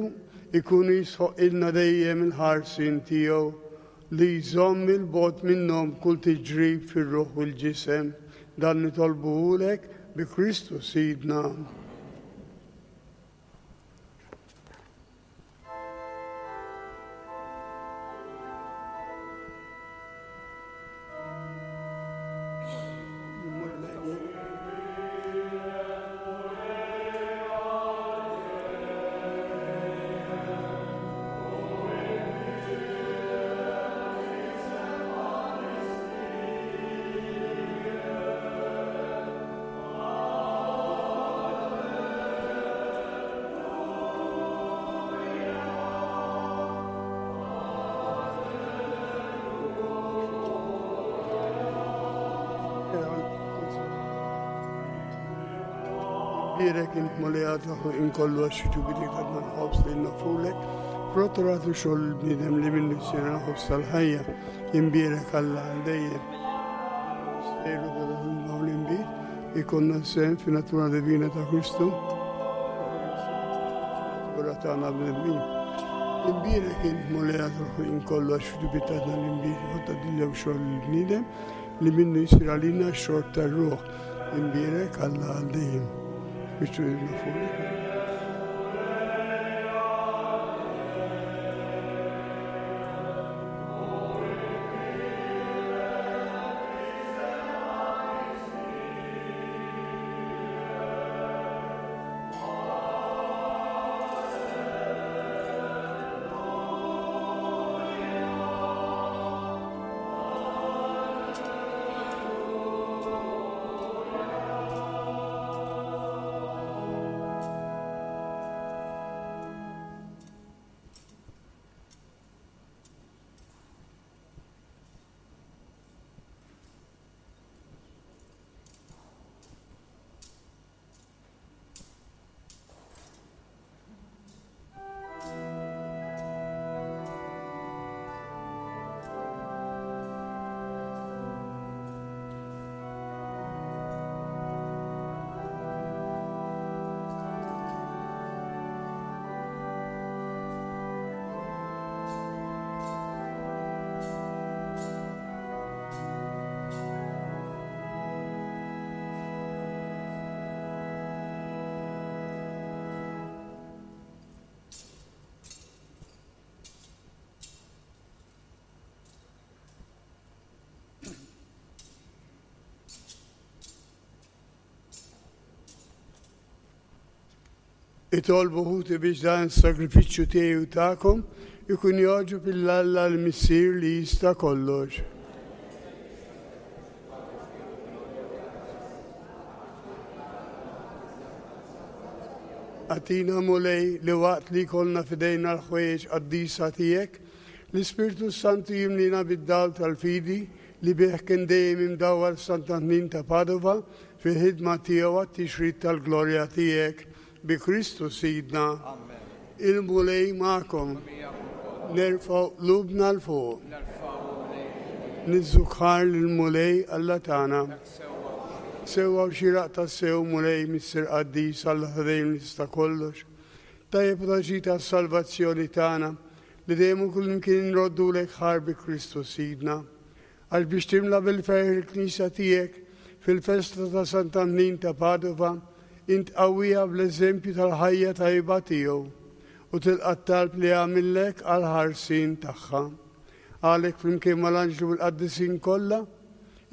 ikunu jisħoqilna dejjem il-ħarsien tiegħu li jżomm il-bogħod minnhom kull tiġrib fir-ruħ u l-ġisem. Dan nitolbuhulek bi Kristu Sidna. Imbierek int Mulej tal-ħolqien kollu għax ġubitik għadna l-ħobż li nofrulek, frott ratu xogħol il-bniedem li minnu jsir l-ħobż tal-ħajja. Imbierek Alla għal dejjem. Misteru ta' dan l-inbid ikonna sehem fin-natura divina ta' Kristu. Natura tagħna bnedmin. Imbierek int Mulej tal-ħolqien kollu għax ġubitik għadna l-inbid frott tad-dinja u xogħol il-bniedem li minnu jsir għalina x-xorb tar-ruħ. Imbierek Alla għal dejjem. Biex nofrulek. Itolbu ħuti biex dan is-sagrifiċċju tiegħi u tagħkom ikun jogħġob lil Alla l-Missier li jista' kollox. Agħtina Mulej li waqt li jkollna f'idejna l-ħwejjeġ qaddisa tiegħek, l-Ispirtu Santu jimlina bid-dawl tal-fidi li bih kien dejjem imdawwar Sant'Antnin ta' Padova fil-ħidma tiegħu għat-tixrid tal-glorja tiegħek. Bi Kristu Sidna. Amen. Il-Mulej magħkom. Nerfgħu qlubna 'l fuq. Niżżukħar lill-Mulej Alla tagħna. Sewwa u xieraq tassew Mulej Missier Qaddis Alla ta' dejjem li tista' kollox. Tajjeb u taġita għas-salvazzjoni tagħna li dejjem u kullimkien nroddulek ħar bi Kristu Sidna. Għax biex timla bil-ferħ il-Knisja tiegħek fil-festa ta' Sant'Antnin ta' Padova, int qawwija bl-eżempju tal-ħajja tajba tiegħu u tilqa' t-talb li għamillek għall-ħarsien tagħha. Għalhekk flimkien mal-anġlu u l-qaddisin kollha,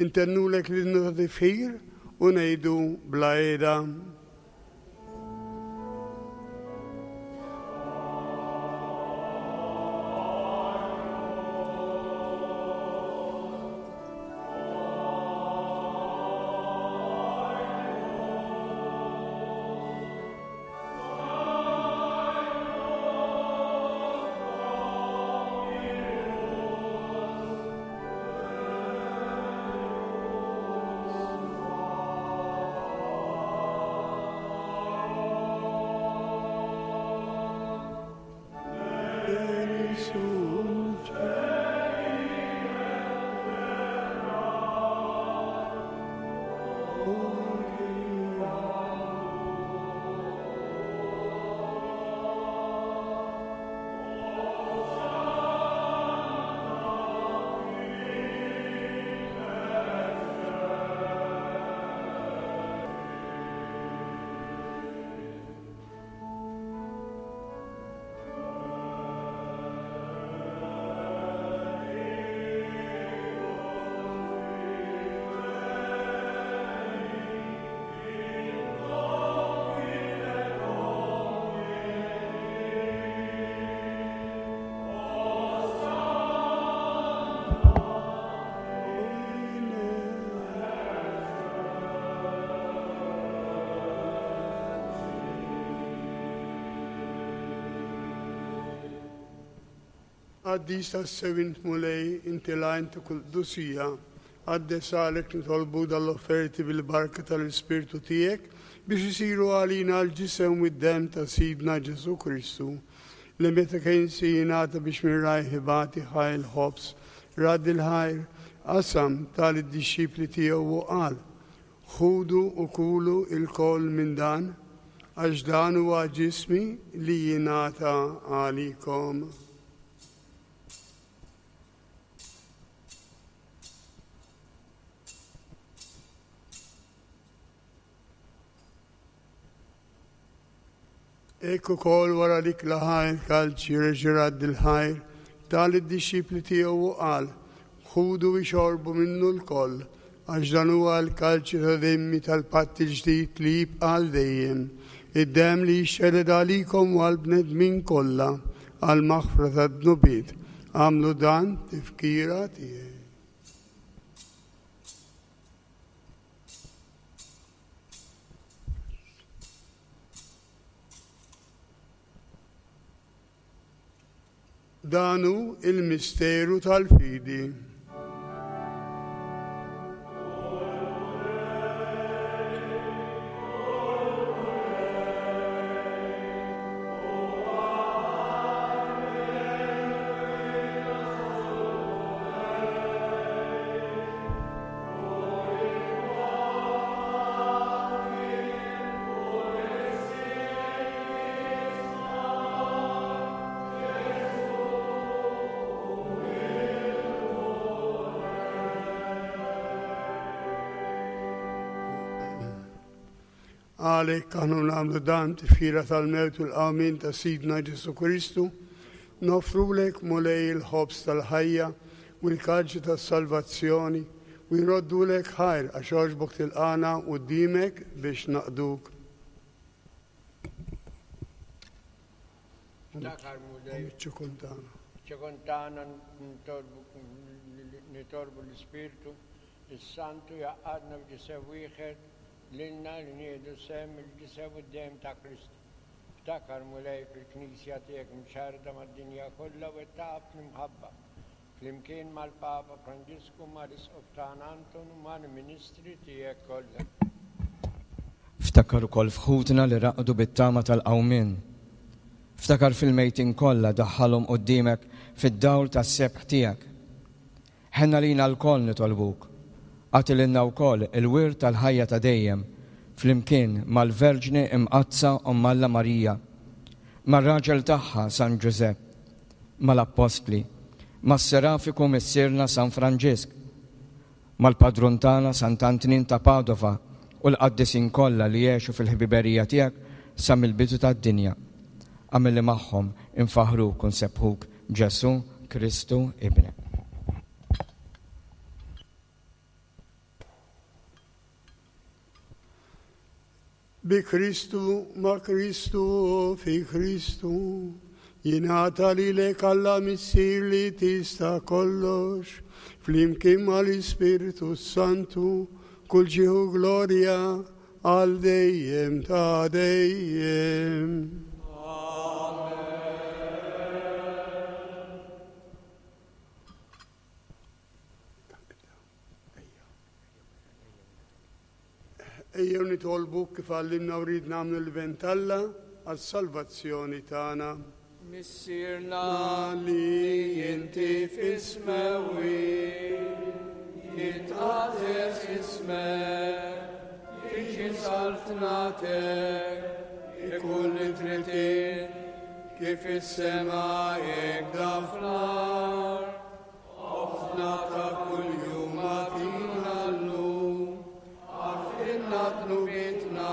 intennulek l-innu ta' tifħir u ngħidu bla qiegħda. Qaddis tas-sew int Mulej, inti l-għajn ta' kull qdusija, Qaddes għalek nitolbu dal-offerti bil-barka tal-Ispirtu tiegħek biex isiru għalina l-ġisem u d-demm ta' Sidna Ġesù Kristu, li meta kien se jingħata biex minn rajh ibati ħa l-ħobż, radd il-ħajr, qasam tal-dixxipli tiegħu u qal: Ħudu u kulu lkoll minn dan, għax dan huwa ġismi li jingħata għalikom. Hekk ukoll wara li klaħa l-kalċi reġa' radd il-ħajr, ta lid-dixxipli tiegħu u qal: Ħudu u xorbu minnu lkoll, għax dan huwa l-kalċi ta' demmi tal-patt il-ġdid li jibqa' għal dejjem, id-demm li jixxered għalikom u għall-bnedmin kollha għall-maħfra tad-dnubiet. Agħmlu dan tifkira tiegħi. Dan hu il-misteru tal-fidi. Għalhekk aħna nagħmlu dan tifkira tal-mewt u l-qawmien ta' Sidna Ġesù Kristu, noffrulek Mulej il-ħobż tal-ħajja u l-kalċi tas-salvazzjoni u jroddulek ħajr għax għoġbok tilqana quddiemek biex naqduk. Ftakar Mulej. Ċikuntana. Ċikuntana nitolbu l-Ispirtu is-Santu jaqadna f'ġisem wieħed lilna li nieħdu sehem il-ġisem u d-demm ta' Kristu. Ftakar Mulej fil-Knisja tiegħek mxarrda mad-dinja kollha u wettaqha fl-imħabba, flimkien mal-Papa Franġisku, mal-Isqof tagħna Anton u mal-Ministri tiegħek kollha. Ftakar ukoll f'ħutna li raqdu bit-tama tal-qawmien. Ftakar fil-mejtin kollha daħħalhom quddiemek fid-dawl tas-sebħ tiegħek. Ħenna lina lkoll nitolbuk. Agħti lilna wkoll il-wirt tal-ħajja ta' dejjem flimkien mal-Verġni Imqaddsa Omm Alla Marija, mar-raġel tagħha San Ġużepp, mal-Appostli, mas-Serafiku Missierna San Franġisk, mal-Padrun tagħna Sant'Antnin ta' Padova u l-qaddisin kollha li għexu fil-ħbiberija tiegħek sa mill-bidu tad-dinja. Agħmel li magħhom infaħruk u nsebbħuk Ġesù Kristu Ibnek. Bi Kristu, ma' Kristu, fi Kristu, jingħata lilek Alla Missier li tista' kollox, flimkien mal-Ispirtu Santu, kull ġieħ u glorja għal dejjem ta' dejjem. Ejjew nitolbu kif għallimna u rrid nagħmlu l-vent Alla għas-salvazzjoni tagħna. Missierna li inti fis-smewwiet, jitqaddes ismek, tiġi saltnatek, ikun li trid int, kif is-sema hekk fl-art. Ħobżna ta' kuljum agħtina llum, aħfrilna dnubietna,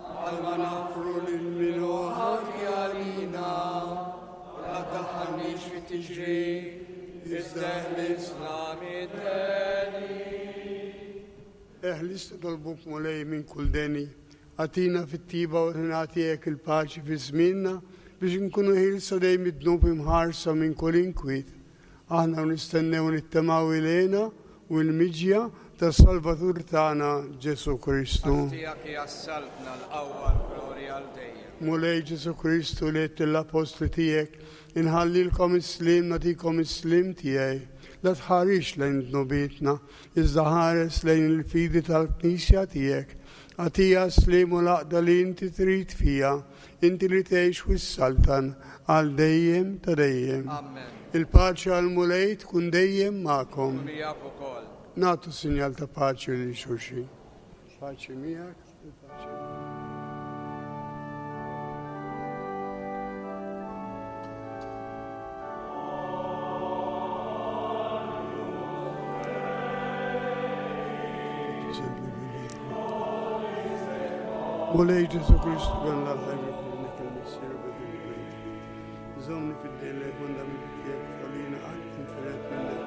bħalma naħfru lil min hu ħati għalina, u la tdaħħalniex fit-tiġrib, iżda eħlisna mid-deni. Eħlisna nitolbuk Mulej minn kull deni, agħtina fit-tiba u ħna tiegħek il-paċi fi żmienna biex nkunu ħielsa dejjem id-dnub imħarsa minn kull inkwiet. Aħna nistennew nittamaw ilejna u l-miġja tas-Salvatur tagħna Ġesù Kristu. Għax tiegħek hija s-saltna, l-qawwa, l-glorja għal dejjem. Mulej Ġesù Kristu li għedt lill-appostli tiegħek, inħallilkom is-sliem, nagħtikom is-sliem tiegħi. La tħarisx lejn dnubietna, iżda ħares lejn il-fidi tal-Knisja tiegħek. Agħtiha s-sliem u l-għaqda li inti trid fiha, inti li tgħix u ssaltan għal dejjem ta' dejjem. Amen. Il-paċi għall-Mulej tkun dejjem magħkom. U miegħek ukoll. Nagħtu sinjal ta' paċi lil xulxin. Paċi miegħek, il-paċi miegħek. Mulej Ġesù Kristu ben l-ħajja minnek il-Missier u bidil Żommni fid-dejn lejk mandamenti tiegħek ħallina qatt infired minnek.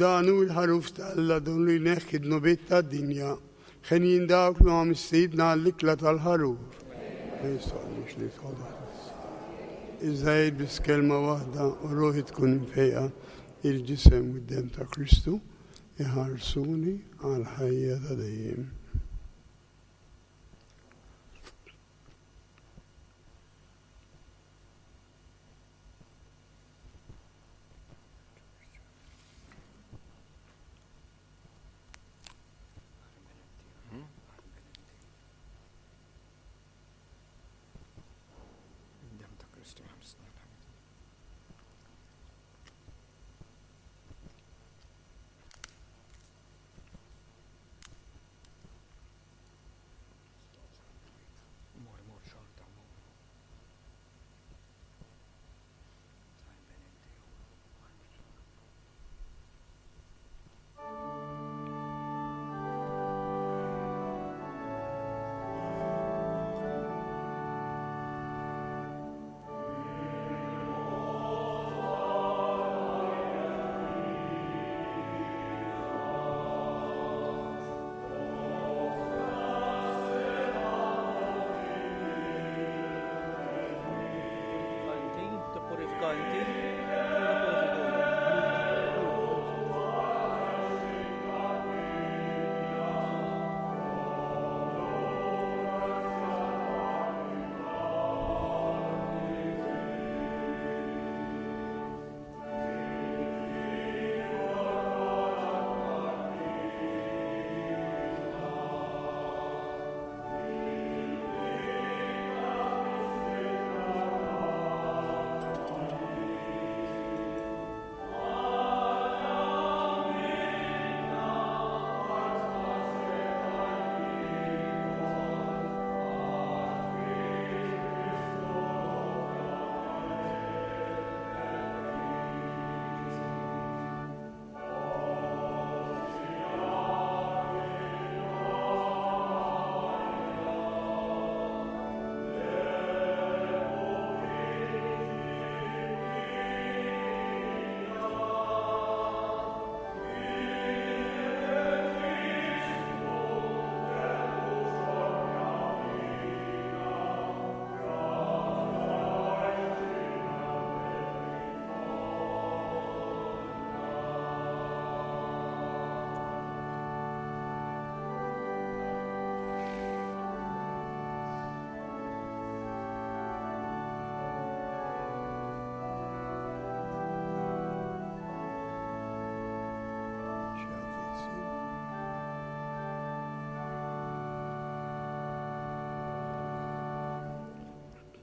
Dan hu l-ħaruf ta' Alla, dan li jneħħi d-dnubiet tad-dinja. Ħenjin dawk li huma mistiedna għall-ikla tal-ħaruf. Ma jistgħux li tħodha. Iżda jgħid biss kelma waħda u ruħi tkun imfejqa. Il-ġisem u d-demm ta' Kristu iħarsuni għal ħajja ta' dejjem.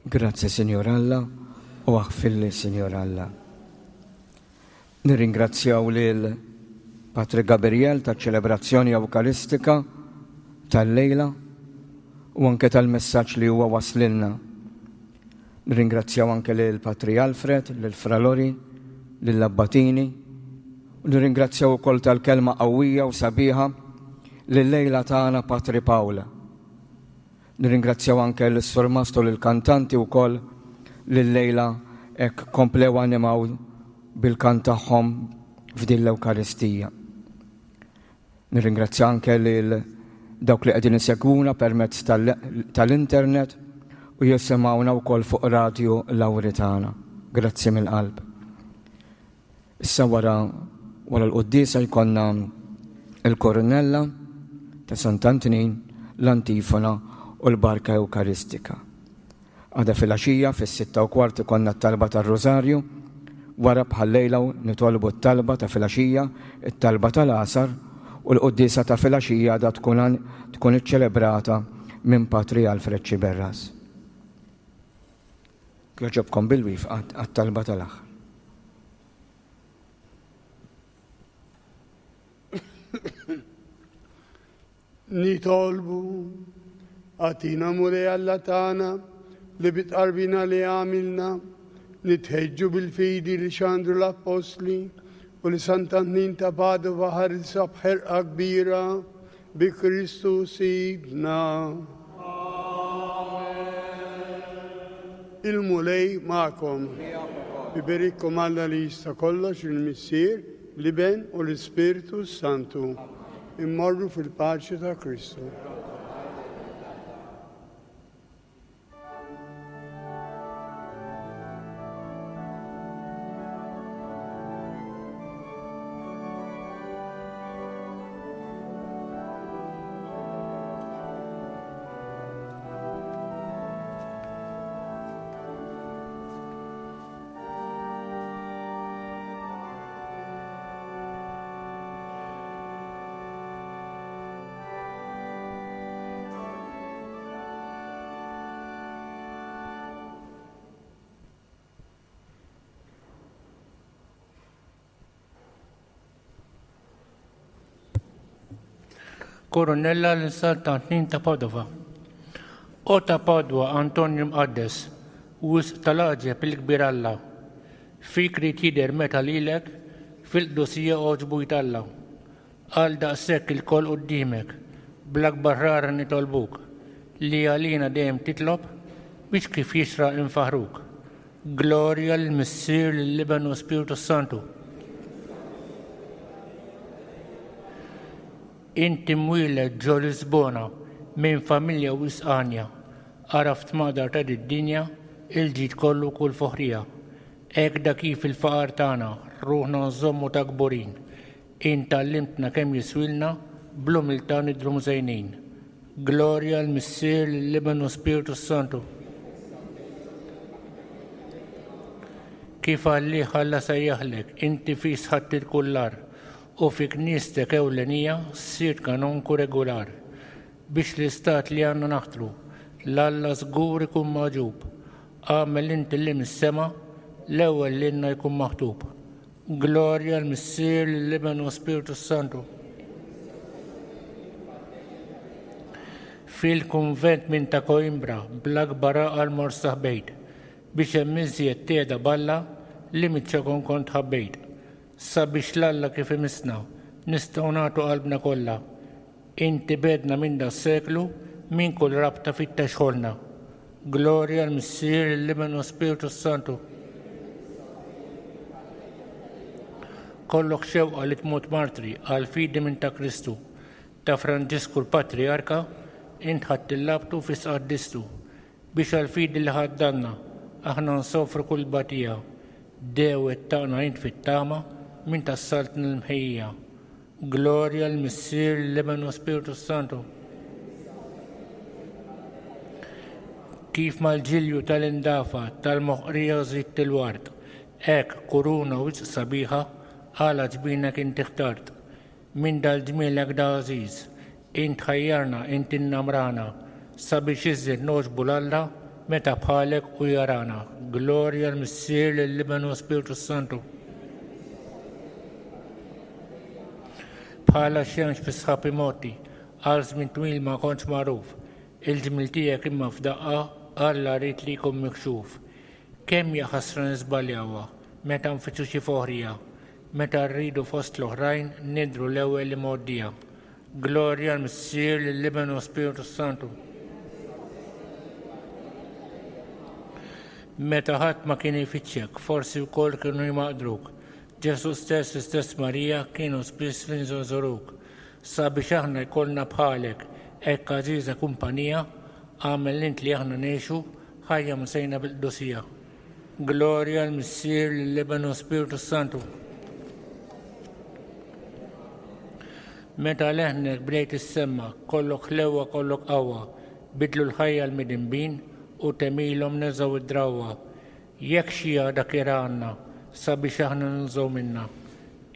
Grazzi, Sinjor Alla, u aħfirli, Sinjor Alla. Nirringrazzjaw lil Patri Gabriel taċ-ċelebrazzjoni Ewkaristika tal-lejla u anke tal-messaġġ li huwa waslilna. Nirringrazzjaw anke lil Patri Alfred, lil Fra Lori, lil Abbatini. U nirringrazzjaw ukoll tal-kelma qawwija u sabiħa lil-lejla tagħna Patri Pawl. Nirringrazzjaw anke l-Surmastu lil-kantanti wkoll lil-lejla hekk komplew animaw bil-kant tagħhom f'din l-Ewkaristija. Nirringrazzja anke lil dawk li qegħdin isegwuna permezz tal-internet u jisimgħuna wkoll fuq Radio Lauretana. Grazzi mill-qalb. Issa wara wara l-quddiesa jkollna il-Koronella ta' Sant'Antnin, l-Antifona u l-Barka Ewkaristika. Għada fil-għaxija fis-sitta u kwart ikollna t-talba tar-Rożarju, wara bħal-lejla nitolbu t-talba ta' filgħaxija, it-talba tal-għasar u l-quddiesa ta' filgħaxija għadha tkun tkun iċċelebrata minn Patri Alfred Xiberras. Jogħġobkom bil-wifqa għat-talba tal-aħħar. Nitolbu, għatina Mulej Alla tagħna li bitqarbina li għamilna nitħeġġu bil-fidi li xandru l-Appostli u li Sant'Antnin ta' Padova ħarsa b'ħerqa kbira bi Kristu Sidna. Il-Mulej magħkom. Iberikkom Alla li jista' kollox, il-Missier, l-Iben u l-Ispirtu Santu. Immorru fil-paċi ta' Kristu. Koronella l-Sant'Antnin ta' Padova. O ta' Padua Antonio Mqaddes, wisq tal-għaġeb il-kbir Alla, fik rid jidher meta lilek fil-qdusija għoġbu jtalla. Għal daqshekk ilkoll quddiemek, bl-akbar rara nitolbuk, li għalina dejjem titlob biex kif jixraq infaħruk. Glorja lill-Missier, lill-Iben u Spiritu Santu. Inti mwieled ġo Lisbona minn familja wisq għanja, għaraft maqdar ta' d-dinja, il-ġid kollu kull foħrija. Hekk da kif il-faqar tagħna, ruħna nżommu ta' kburin. Int għallimtna kemm jiswilna, bl-umiltà nidhru mżejnin. Glorja l-Missier, lill-Iben u Spiritu Santu. Kif għalih Alla sejjaħlek, inti fis ħadd il-kullar, u fi knistek ewlenija ssirt kanonku regular, biex l-istat li għandna naħtru, l-Alla żgur ikun magħġub. Għamel inti li mis-sema, l-ewwel lilna jkun maħtub. Glorja l-Missier, lill-Iben u Spiritu Santu. Fil-kunvent minn ta' Coimbra, bl-akbar għaqal mor saħbejt, biex hemm iżjed tiegħda balla li miċ-ċokon kont ħabbejt. Sabiex l-Alla kif imisna, nistgħu nagħtu qalbna kollha. Inti bedna minn da seklu, minn kull rabta fittex ħolna. Glorja l-Missier, l-Iben u Spiritu Santu. Kollok xewqa li tmut martri għal fidi minn ta' Kristu, ta' Franġisku l-Patriarka, int ħadd il-labtu fis qaddistu, biex għal fidi li ħaddanna, aħna nsofru kull batija. Dewet taqna int fit-tama minn tas-saltna l-mħejja. Glorja l-Missier, l-Iben u Spiritu Santu. Kif mal-ġilju tal-indafa tal-moħqrija żidt il-ward, hekk kuruna wisq sabiħa għala ġbinek inti ħtart. Minn dal-ġmielek da għażiż, int ħajjarna, int innamrana, sabiex iżjed nogħġbu l-Alla meta bħalek u jarana. Glorja l-Missier, lill-Iben u Spiritu Santu. Bħala xemx fi sħab imoti, għal żmien twil ma kontx magħruf, il-ġmiel tiegħek imma f'daqqa Alla ried li jkun mikxuf. Kemm hija ħasra niżbaljawha meta nfittxu xi foħrija, meta rridu fost l-oħrajn nidhru l-ewwel li mgħoddija. Glorja l-Missier, lill-Iben u Spiritu Santu. Meta ħadd ma kien ifittxek, forsi wkoll kienu jmaqdruk. Ġesu stess, l-istess Marija kienu spiss li nżoruk. Sabiex aħna jkollna bħalek hekk għażiża kumpanija, għamel int li aħna ngħixu ħajja msejna bil-qdusija. Glorja l-Missier, lill-Iben u Spiritu Santu. Meta leħnek bdejt issemma, kollok ħlewwa, kollok qawwa, bidlu l-ħajja l-midinbin u temilhom neżgħu id-drawwa. Jekk xi għada kiera għandna, sabiex aħna ninżgħu minna.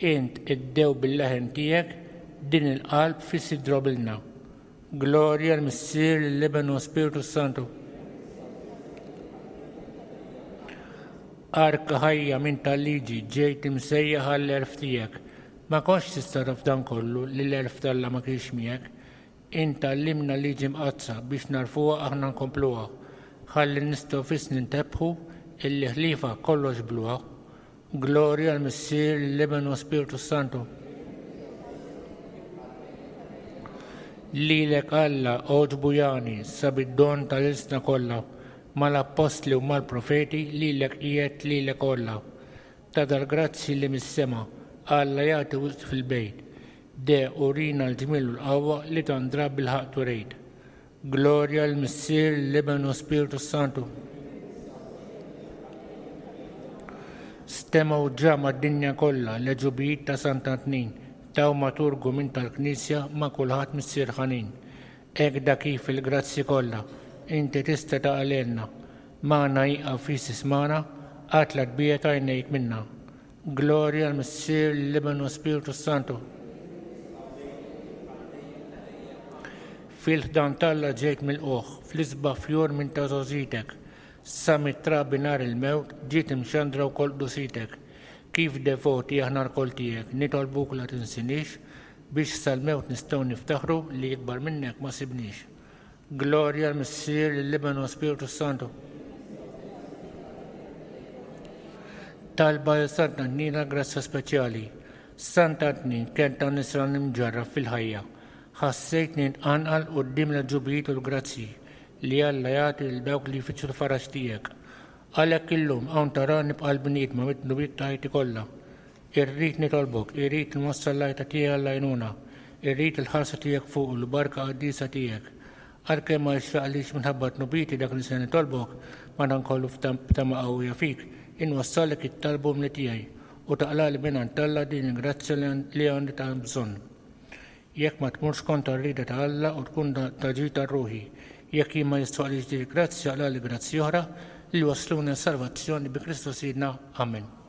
Int iddew bil-leħen tiegħek din il-qalb fis idrobilna. Glorja l-Missier, lill-Iben u Spiritu Santu. Arka ħajja minn tal-liġi ġejt imsejjaħ għall-għerf tiegħek. Ma kontx tista' taf dan kollu li l-għerf t'Alla ma kienx miegħek. Int għallimna liġi mqaddsa biex narfuha aħna nkompluha. Ħalli nistgħu fis nintebħu illi ħlifa kollox bluha. Glorja l-Missier, lill-Iben u Spiritu Santu. Lilek Alla għoġbu jani sabid-don tal-ilsna kollha, mal-appostli u mal-profeti lilek qiegħed lilek kollha. Ta' dal-grazzi li mis-sema Alla jagħti wisq fil-bejt. De urina l-ġmiel u l-qawwa li tandra bil-ħaqq turejt. Glorja l-Missier, l-Iben u Spiritu Santu. Stemgħu ġa mad-dinja kollha l-għeġubijiet ta' Sant'Antnin, taw maturgu minn tal-Knisja ma' kulħadd Missier ħanin. Hekk da kif il-grazzi kollha inti tista' taqalilna, magħna jieqaf fis ismana, qatt la tbiegħed għajnejk minna. Glorja l-Missier, l-Iben u Spiritu Santu. Fil-ħdan t'Alla ġejt mill-qoħ, fl-isbaħ fjur minn ta' żgħożitek. Sa mit-trabi nhar il-mewt ġiet imxandra wkoll qdusitek. Kif devoti aħna lkoll tiegħek, nitolbuk la tinsinix biex sal-mewt nistgħu niftaħru li ikbar minnek ma sibniex. Glorja l-Missier, lill-Iben u Spiritu Santu. Talba lil Sant'Antnin għal grazzja speċjali. Sant'Antnin kien ta' nisran imġarrab fil-ħajja. Ħassejtni nqanqal quddiem l-ġubijiet u l-grazzji li Alla jagħti lil dawk li jfittxu l-faraġ tiegħek. Għalhekk illum hawn tarani bqal bniedma mid-dnubiet ta' ħajti kollha. Irrid nitolbok, irrid nwassal l-għajta tiegħi għall-għajnuna, irrid il-ħarsa tiegħek fuq u l-barka qaddisa tiegħek. Għalkemm ma jixraqlix minħabba dnubieti dak li se nitolbok, madankollu b'tama qawwija fik, inwassallek it-talbu umli tiegħi u taqlali mingħand Alla din il-grazzja li għandi ta' bżonn. Jekk ma tmurx kontra r-rieda ta' Alla u tkun ta' ġid tar-ruħi, jekk jien ma jistħoqlix din il-grazzja, aqlali grazzji oħra li wasluna s-salvazzjoni bi Kristu Sidna. Amen.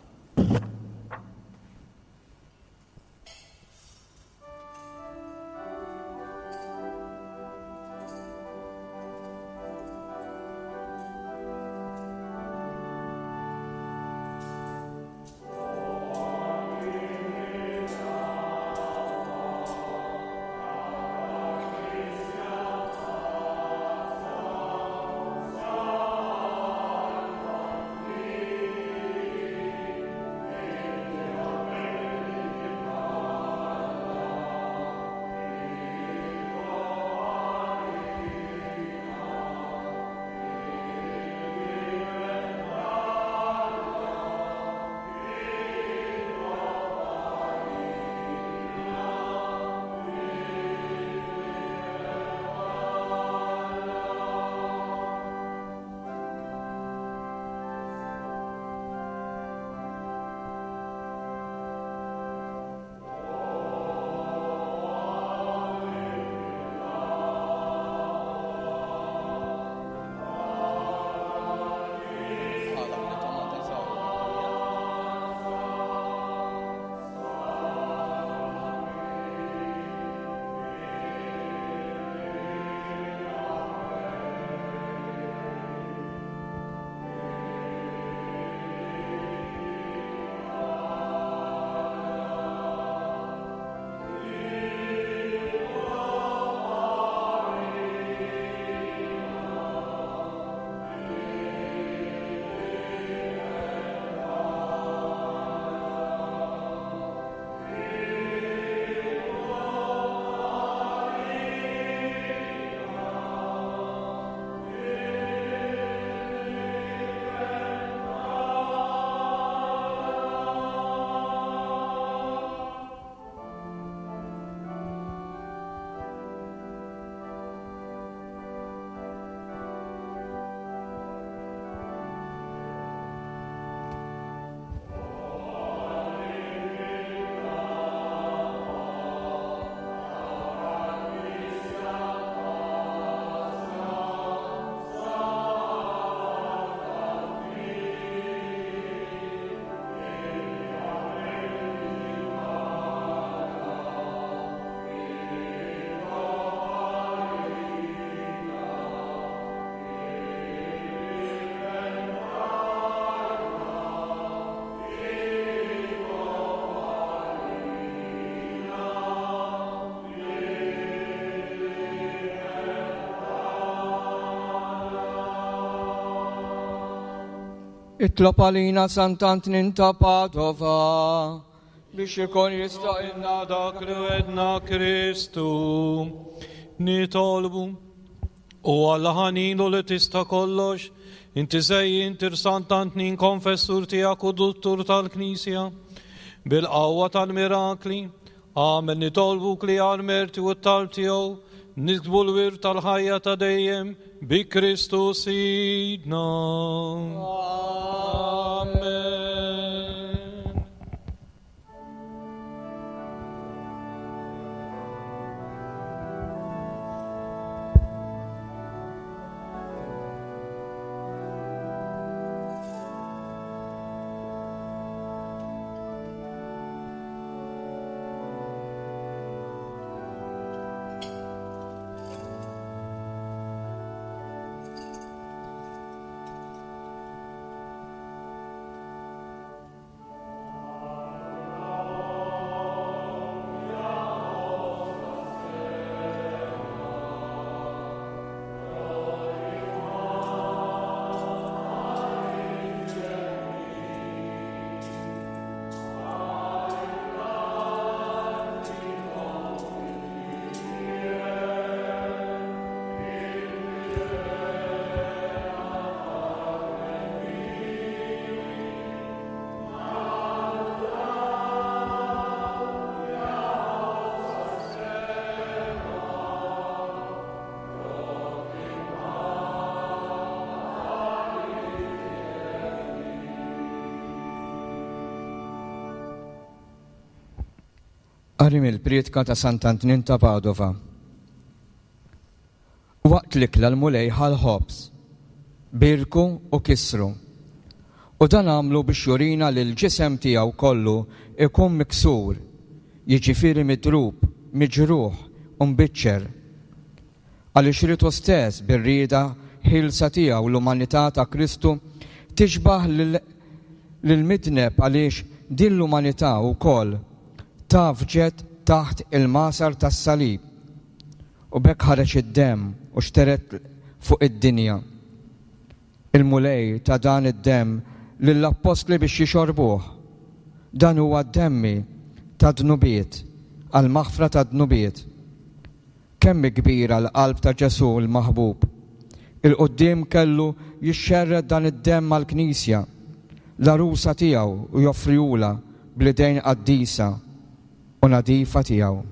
Itlob għalina Sant'Antnin ta' Padova biex ikun jistaqilna dak li wegħedna Kristu. Nitolbu. O Alla ħanin u li tista' kollox, inti żejjint lil Sant'Antnin konfessur tiegħek u duttur tal-Knisja, bil-qawwa tal-mirakli, agħmel nitolbuk li għall-merti u t-talb tiegħu niksbu l-wirt tal-ħajja ta' dejjem bi Kristu Sidna. Amen. Qari mill-prietka ta' Sant'Antnin ta' Padova. Waqt l-ikla l-Mulej ħa l-ħobż, birku u kisru. U dan għamlu biex jurina li l-ġisem tiegħu kollu ikun miksur, jiġifieri midrub, miġruħ u mbiċċer. Għaliex ried hu stess bir-rieda ħielsa tiegħu l-umanità ta' Kristu tixbah lil midneb għaliex din l-umanità wkoll tgħaffġet taħt il-magħsar tas-salib u b'hekk ħareġ id-demm u xtered fuq id-dinja. Il-Mulej ta dan id-demm lill-appostli biex jixorbuh. Dan huwa demmi tad-dnubiet, għal-maħfra tad-dnubiet. Kemm kbira l-qalb ta' Ġesu l-maħbub. 'Il quddiem kellu jixxerred dan id-demm għall-Knisja, l-għarusa tiegħu u joffrihulha bl-idejn qaddisa u nadifa tiegħu.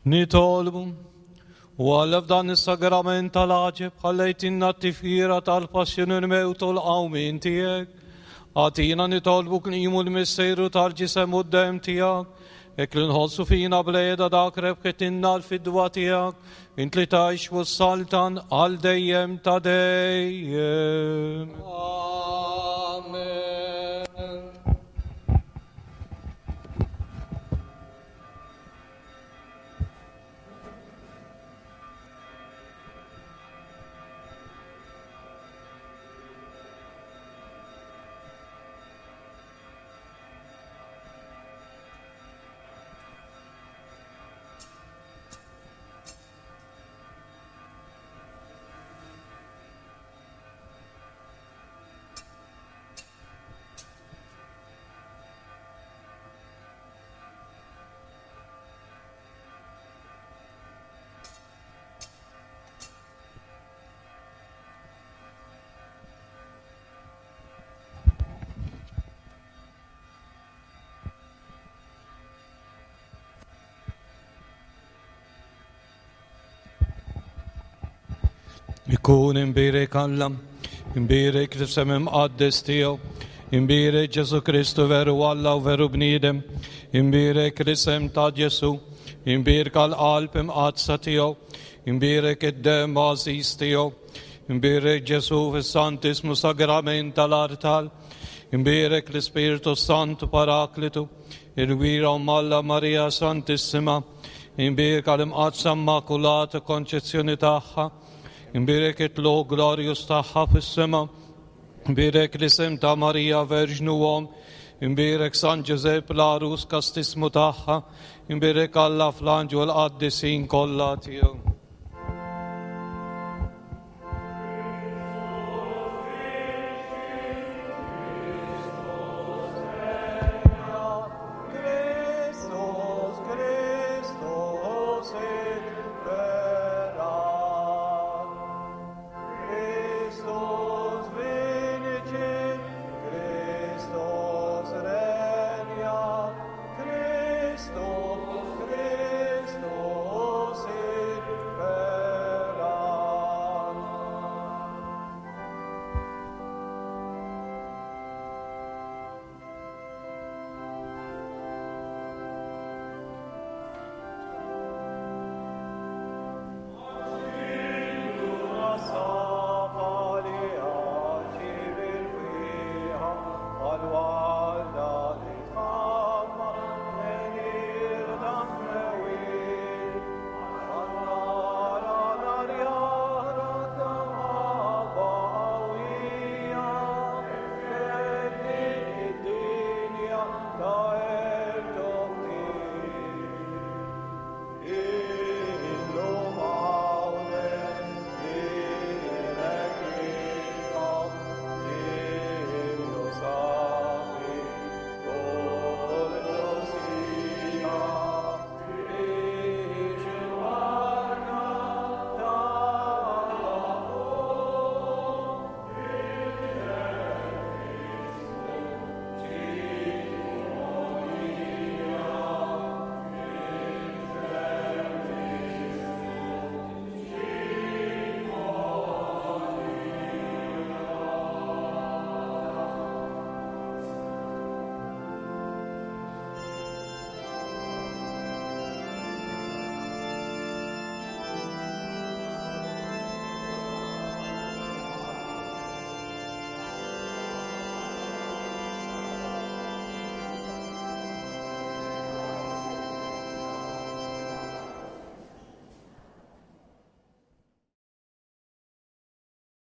Nitolbu, u Alla f'dan is-sagrament tal-għaġeb ħallejtilna t-tifkira tal-passjoni l-mewt u l-qawmien tiegħek. Agħtina nitolbuk nqimu l-misteru tal-ġisem u d-demm tiegħek, hekk li nħossu fina bl-għeda dak rebħitilna l-fidwa tiegħek, int li tgħix u s-saltan għal dejjem ta' dejjem. Amen. Ikun imbierek Alla, imbierek l-isem imqaddes tiegħu, imbierek Ġesu Kristu veru Alla u veru bniedem, imbierek l-isem ta' Ġesu, imbierek għall-qalb imqaddsa tiegħu, imbierek id-demm għażiż tiegħu, imbierek Ġesu fis-Santismu Sagrament tal-artal, imbierek l-Ispirtu Santu Paraklitu, il-Gwira Omm Alla Marija Santissima, imbierek għall-Imqaddsa Immakulata Konċezzjoni tagħha, imbierek it-tlugħ glorjuż tagħha fis-sema, imbierek l-isem ta' Marija Verġnu Omm, imbierek San Ġużepp l-għarus kastismu tagħha, imbierek Alla fl-anġlu u l-qaddisin kollha tiegħu.